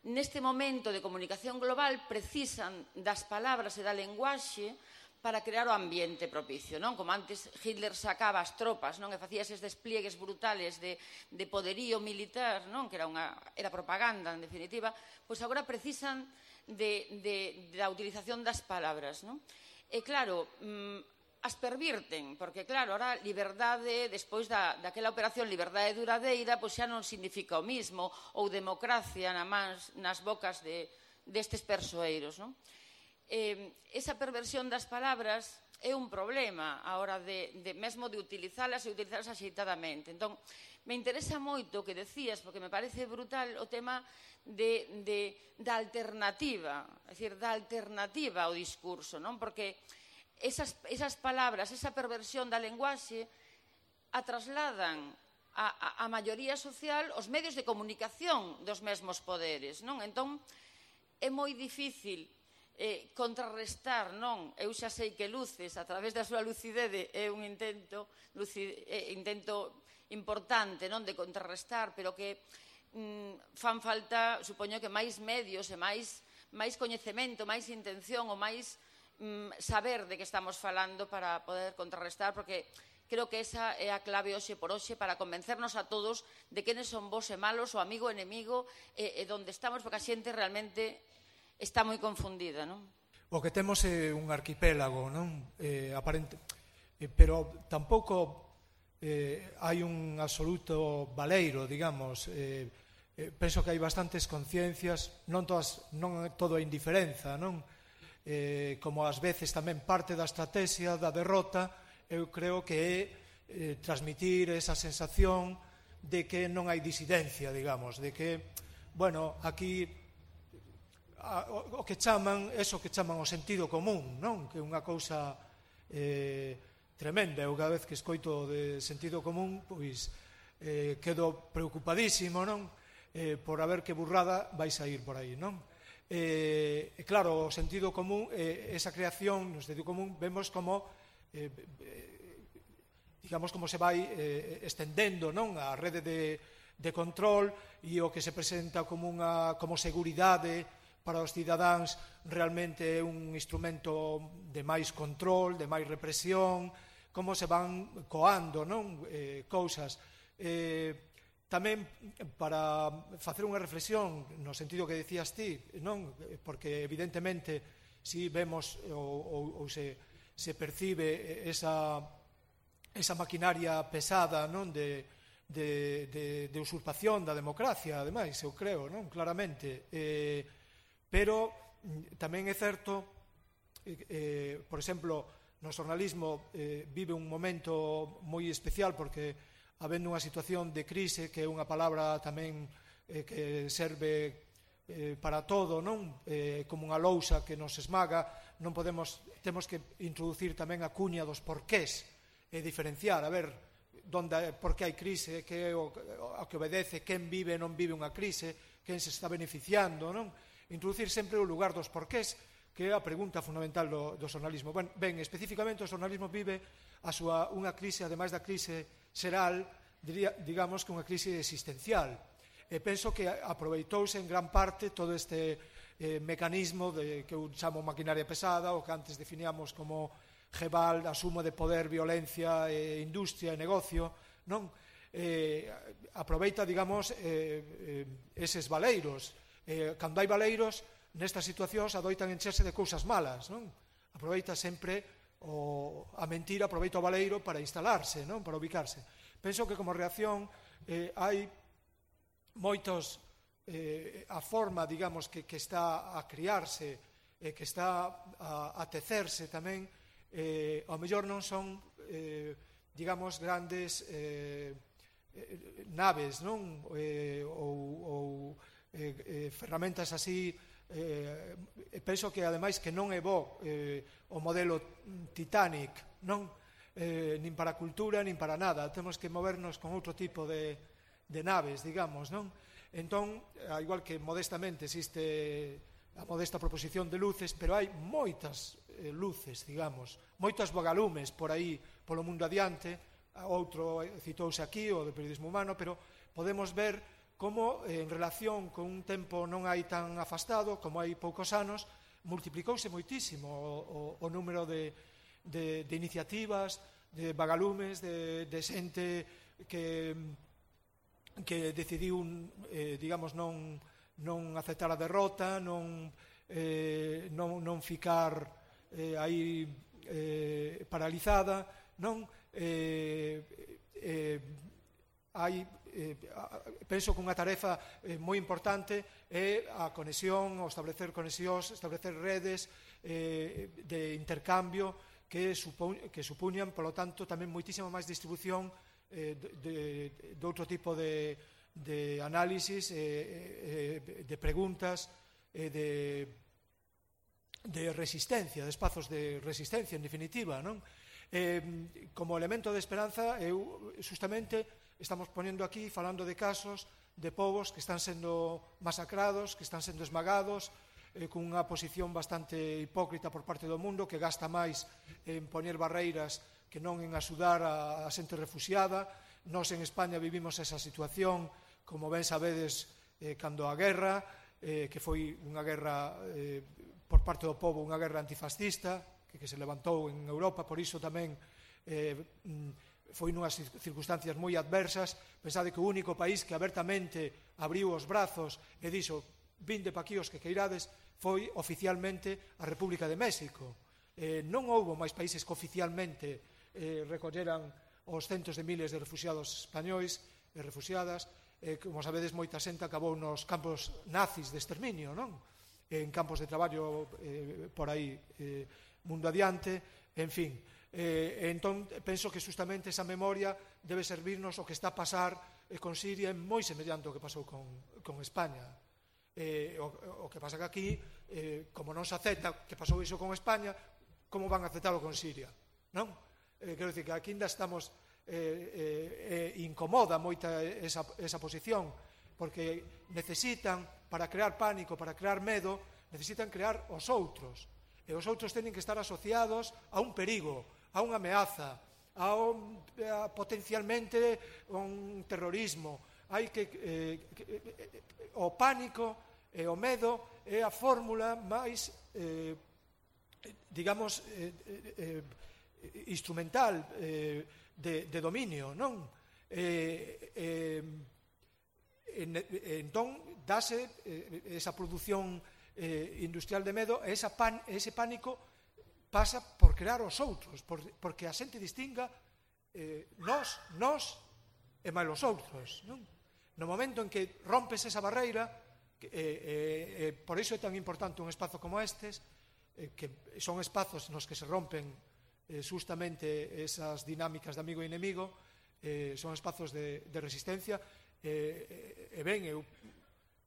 neste momento de comunicación global precisan das palabras e da lenguaxe para crear o ambiente propicio, non? Como antes Hitler sacaba as tropas, non? E facía eses despliegues brutales de, de poderío militar, non? Que era, unha, era propaganda, en definitiva, pois agora precisan de, de, da utilización das palabras, non? E claro, mmm, as pervirten, porque claro, ahora liberdade, despois da, daquela operación liberdade duradeira, pois xa non significa o mismo, ou democracia na mans, nas bocas de, destes persoeiros, non? Eh, esa perversión das palabras é un problema a hora de, de mesmo de utilizalas e utilizalas axeitadamente. Entón, me interesa moito o que decías, porque me parece brutal o tema de, de, da alternativa, é dicir, da alternativa ao discurso, non? Porque Esas, esas palabras, esa perversión da lenguaxe a trasladan a, a, a maioría social os medios de comunicación dos mesmos poderes, non? Entón, é moi difícil eh, contrarrestar, non? Eu xa sei que Luces, a través da súa lucidez, é un intento, lucid, eh, intento importante, non? De contrarrestar, pero que mm, fan falta, supoño que máis medios e máis, máis coñecemento, máis intención ou máis saber de que estamos falando para poder contrarrestar, porque creo que esa é a clave hoxe por hoxe para convencernos a todos de quenes son bons e malos, o amigo e enemigo, e, e donde estamos, porque a xente realmente está moi confundida, non? O que temos é un arquipélago, non? Eh, aparente, eh, pero tampouco eh, hai un absoluto baleiro, digamos. Eh, eh, penso que hai bastantes conciencias, non, todas, non todo é indiferenza, non? Eh, como ás veces tamén parte da estrategia da derrota, eu creo que é eh, transmitir esa sensación de que non hai disidencia, digamos, de que, bueno, aquí a, o, o que chaman, eso que chaman o sentido común, non? Que é unha cousa eh, tremenda. Eu cada vez que escoito de sentido común, pois eh, quedo preocupadísimo, non? Eh, por a ver que burrada vai sair por aí, non? Eh, claro, o sentido común, eh, esa creación no sentido común, vemos como eh, eh, digamos como se vai eh, estendendo, non? A rede de, de control, e o que se presenta como unha como seguridade para os cidadáns realmente é un instrumento de máis control, de máis represión, como se van coando, non? Eh, cousas eh, Tamén para facer unha reflexión no sentido que decías ti, non? Porque evidentemente si vemos ou, ou, ou se, se percibe esa, esa maquinaria pesada, non? De, de, de, de usurpación da democracia, ademais, eu creo, non? Claramente. Eh, pero tamén é certo, eh, por exemplo, no xornalismo eh, vive un momento moi especial porque habendo unha situación de crise, que é unha palabra tamén eh, que serve eh, para todo, non? Eh, como unha lousa que nos esmaga, non podemos, temos que introducir tamén a cuña dos porqués e diferenciar, a ver, donde, por que hai crise, que é o, o que obedece, quen vive e non vive unha crise, quen se está beneficiando, non? Introducir sempre o lugar dos porqués, que é a pregunta fundamental do, do xornalismo. Ben, ben, especificamente o xornalismo vive a súa, unha crise, ademais da crise xeral, diría, digamos que unha crise existencial. E penso que aproveitouse en gran parte todo este eh, mecanismo de, que eu chamo maquinaria pesada, o que antes definíamos como Gebal, a suma de poder, violencia, eh, industria e negocio, non? Eh, aproveita, digamos, eh, eh, eses valeiros. Eh, cando hai valeiros, nestas situacións adoitan encherse de cousas malas, non? Aproveita sempre o, a mentira, aproveita o valeiro para instalarse, non? Para ubicarse. Penso que como reacción eh, hai moitos, eh, a forma, digamos, que, que está a criarse, eh, que está a, a tecerse tamén, eh, ao mellor non son, eh, digamos, grandes eh, eh, naves, non? Eh, ou, ou eh, eh, ferramentas así. Eh, penso que ademais que non é bo eh, o modelo Titanic, non? Eh, nin para a cultura, nin para nada. Temos que movernos con outro tipo de, de naves, digamos, non? Entón, a igual que modestamente existe a modesta proposición de luces, pero hai moitas eh, luces, digamos, moitas bogalumes por aí, polo mundo adiante. Outro citouse aquí, o do periodismo humano, pero podemos ver como en relación con un tempo non hai tan afastado, como hai poucos anos, multiplicouse moitísimo o, o, o número de, de, de iniciativas, de vagalumes, de, de xente que, que decidiu, eh, digamos, non, non aceptar a derrota, non, eh, non, non ficar eh, aí eh, paralizada, non? Eh, eh, hai Eh, penso que unha tarefa eh, moi importante é a conexión, o establecer conexións, establecer redes eh, de intercambio que, supo, que supuñan, polo tanto, tamén moitísima máis distribución eh, de, de, de outro tipo de, de análisis, eh, eh, de preguntas, eh, de, de resistencia, de espazos de resistencia, en definitiva, non? Eh, como elemento de esperanza, eu, justamente, estamos poniendo aquí, falando de casos de povos que están sendo masacrados, que están sendo esmagados, eh, cunha posición bastante hipócrita por parte do mundo, que gasta máis en poñer barreiras que non en axudar a, a xente refuxiada. Nós en España vivimos esa situación, como ben sabedes, eh, cando a guerra, eh, que foi unha guerra eh, por parte do povo, unha guerra antifascista, que, que se levantou en Europa, por iso tamén eh, foi nunhas circunstancias moi adversas. Pensade que o único país que abertamente abriu os brazos e dixo vinde pa aquí os que queirades foi oficialmente a República de México. Eh, non houbo máis países que oficialmente eh, recolleran os centos de miles de refugiados españois e refugiadas. Eh, como sabedes, moita xente acabou nos campos nazis de exterminio, non? En campos de traballo eh, por aí, eh, mundo adiante, en fin. Eh, entón, penso que justamente esa memoria debe servirnos o que está a pasar eh, con Siria é moi semellante ao que pasou con, con España. Eh, o, o que pasa que aquí, eh, como non se acepta que pasou iso con España, como van a aceptarlo con Siria? Non? Eh, quero dicir que aquí ainda estamos, eh, eh, incomoda moita esa, esa posición, porque necesitan, para crear pánico, para crear medo, necesitan crear os outros. E os outros teñen que estar asociados a un perigo, a unha ameaza, a, un, a potencialmente un terrorismo. Hai que, eh, que eh, o pánico e o medo é a fórmula máis, eh, digamos, eh, eh, instrumental eh, de, de dominio, non? Eh, eh, en, entón, dase eh, esa produción eh, industrial de medo, e esa pan, ese pánico pasa por crear os outros, por, porque a xente distinga eh, nós, nós e máis os outros, non? No momento en que rompes esa barreira, que, eh, eh, por iso é tan importante un espazo como estes, eh, que son espazos nos que se rompen eh, justamente esas dinámicas de amigo e inimigo, eh, son espazos de, de resistencia, eh, e ben, eu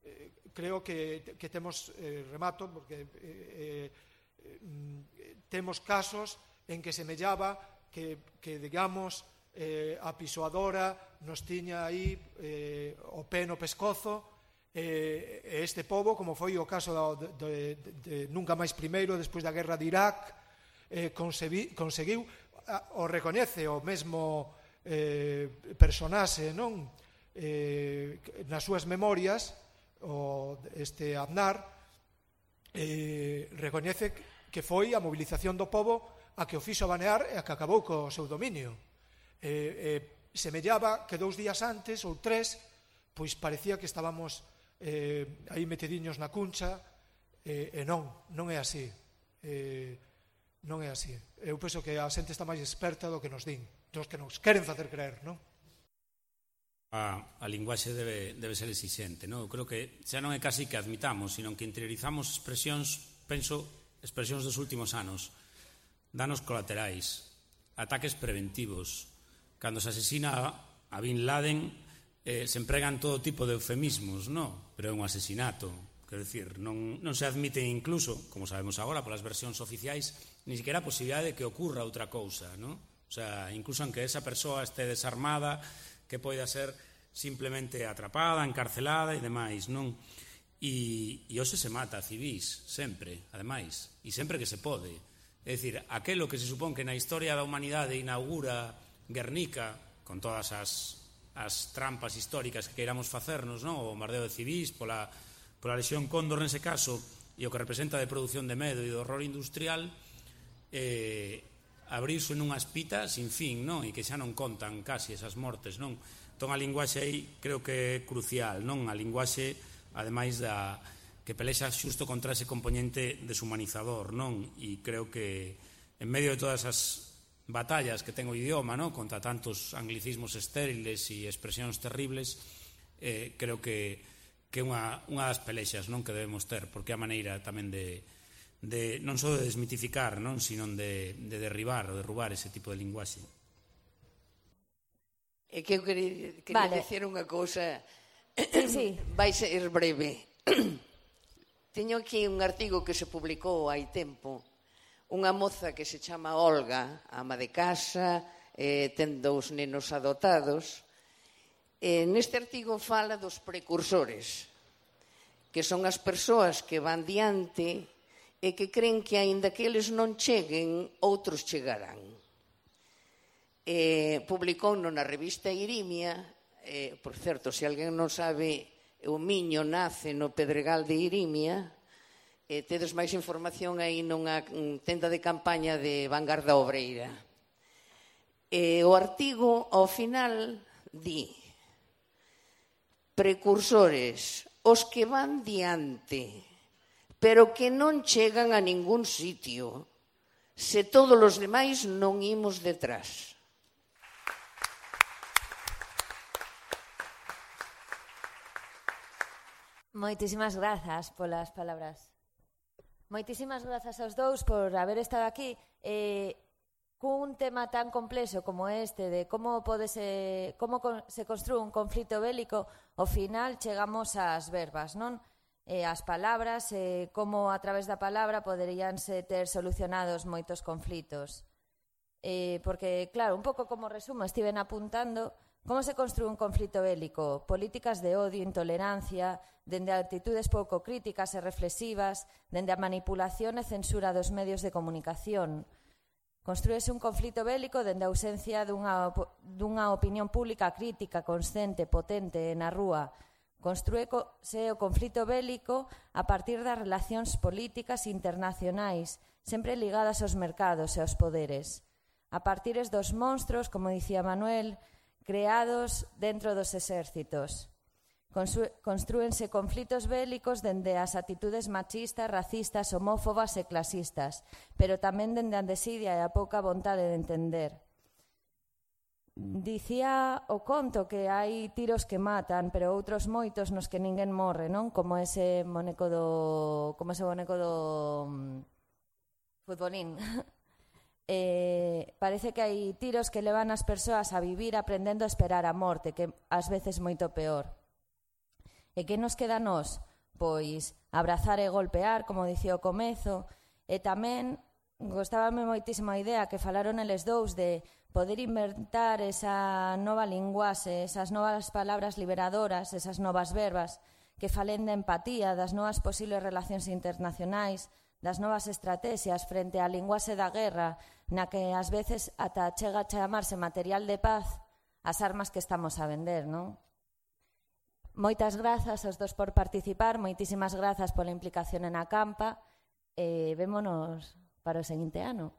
eh, creo que, que temos, eh, remato, porque eh, eh, temos casos en que semellaba que, que digamos, eh, a pisoadora nos tiña aí eh, o pé no pescozo, e eh, este pobo, como foi o caso de, de, de, de Nunca Máis Primeiro, despois da guerra de Irak, eh, conseguiu, conseguiu o recoñece o mesmo eh, personaxe, non? Eh, nas súas memorias, o este Aznar eh, recoñece que foi a movilización do pobo a que o fixo banear e a que acabou co seu dominio. Eh, eh, semellaba que dous días antes ou tres, pois parecía que estábamos eh, aí metediños na cuncha, eh, e non, non é así. Eh, non é así. Eu penso que a xente está máis experta do que nos din, dos que nos queren facer creer, non? A, a linguaxe debe, debe ser exixente, non? Eu creo que xa non é casi que admitamos, sino que interiorizamos expresións, penso, expresións dos últimos anos, danos colaterais, ataques preventivos. Cando se asesina a, a Bin Laden, eh, se empregan todo tipo de eufemismos, non? Pero é un asesinato. Quero dicir, non, non se admite incluso, como sabemos agora, polas versións oficiais, ni siquiera a posibilidade de que ocurra outra cousa, non? O sea, incluso aunque esa persoa este desarmada, que poida ser simplemente atrapada, encarcelada e demais, non? E, e hoxe se mata a civis, sempre, ademais, e sempre que se pode. É dicir, aquelo que se supón que na historia da humanidade inaugura Guernica, con todas as, as trampas históricas que queiramos facernos, non? O bombardeo de civis, pola, pola lesión Cóndor nese caso, e o que representa de produción de medo e do horror industrial, eh, abrirse nunhas pitas sin fin, non? E que xa non contan casi esas mortes, non? Entón a linguaxe aí creo que é crucial, non? A linguaxe, ademais da que pelexa xusto contra ese componente deshumanizador, non? E creo que en medio de todas as batallas que ten o idioma, non? Contra tantos anglicismos estériles e expresións terribles, eh, creo que que é unha, unha das pelexas, non? Que debemos ter, porque é a maneira tamén de de, non só de desmitificar, non, sino de, de derribar ou derrubar ese tipo de linguaxe. É que eu quería, quería vale. decir unha cousa, sí, sí. vai ser breve. Teño aquí un artigo que se publicou hai tempo, unha moza que se chama Olga, ama de casa, eh, ten dous nenos adotados, e neste artigo fala dos precursores, que son as persoas que van diante e que creen que, aínda que eles non cheguen, outros chegarán. Eh, publicou na revista Irimia, eh, por certo, se alguén non sabe, o Miño nace no Pedregal de Irimia, eh, tedes máis información aí nunha tenda de campaña de Vanguarda Obreira. Eh, o artigo, ao final, di: precursores, os que van diante, pero que non chegan a ningún sitio, se todos os demais non imos detrás. Moitísimas grazas polas palabras. Moitísimas grazas aos dous por haber estado aquí. Eh, cun tema tan complexo como este de como pode se, como se construe un conflito bélico, ao final chegamos ás verbas, non? E as palabras, e como a través da palabra poderíanse ter solucionados moitos conflitos. Eh, porque, claro, un pouco como resumo, estiven apuntando como se construe un conflito bélico, políticas de odio, intolerancia, dende actitudes pouco críticas e reflexivas, dende a manipulación e censura dos medios de comunicación. Construíse un conflito bélico dende a ausencia dunha, dunha opinión pública crítica, consciente, potente na rúa. Construíse o conflito bélico a partir das relacións políticas internacionais, sempre ligadas aos mercados e aos poderes. A partir dos monstros, como dicía Manuel, creados dentro dos exércitos. Construense conflitos bélicos dende as actitudes machistas, racistas, homófobas e clasistas, pero tamén dende a desidia e a pouca vontade de entender. Dicía o conto que hai tiros que matan, pero outros moitos nos que ninguén morre, non? Como ese boneco do como ese boneco do um, futbolín. Eh, parece que hai tiros que levan as persoas a vivir aprendendo a esperar a morte, que ás veces moito peor. E que nos queda a nós? Pois abrazar e golpear, como dicía o comezo, e tamén gostábame moitísimo a idea que falaron eles dous de poder inventar esa nova linguaxe, esas novas palabras liberadoras, esas novas verbas que falen de empatía, das novas posibles relacións internacionais, das novas estrategias frente á linguaxe da guerra, na que ás veces ata chega a chamarse material de paz, as armas que estamos a vender, non? Moitas grazas aos dos por participar, moitísimas grazas pola implicación en a campa, e vémonos para o seguinte ano.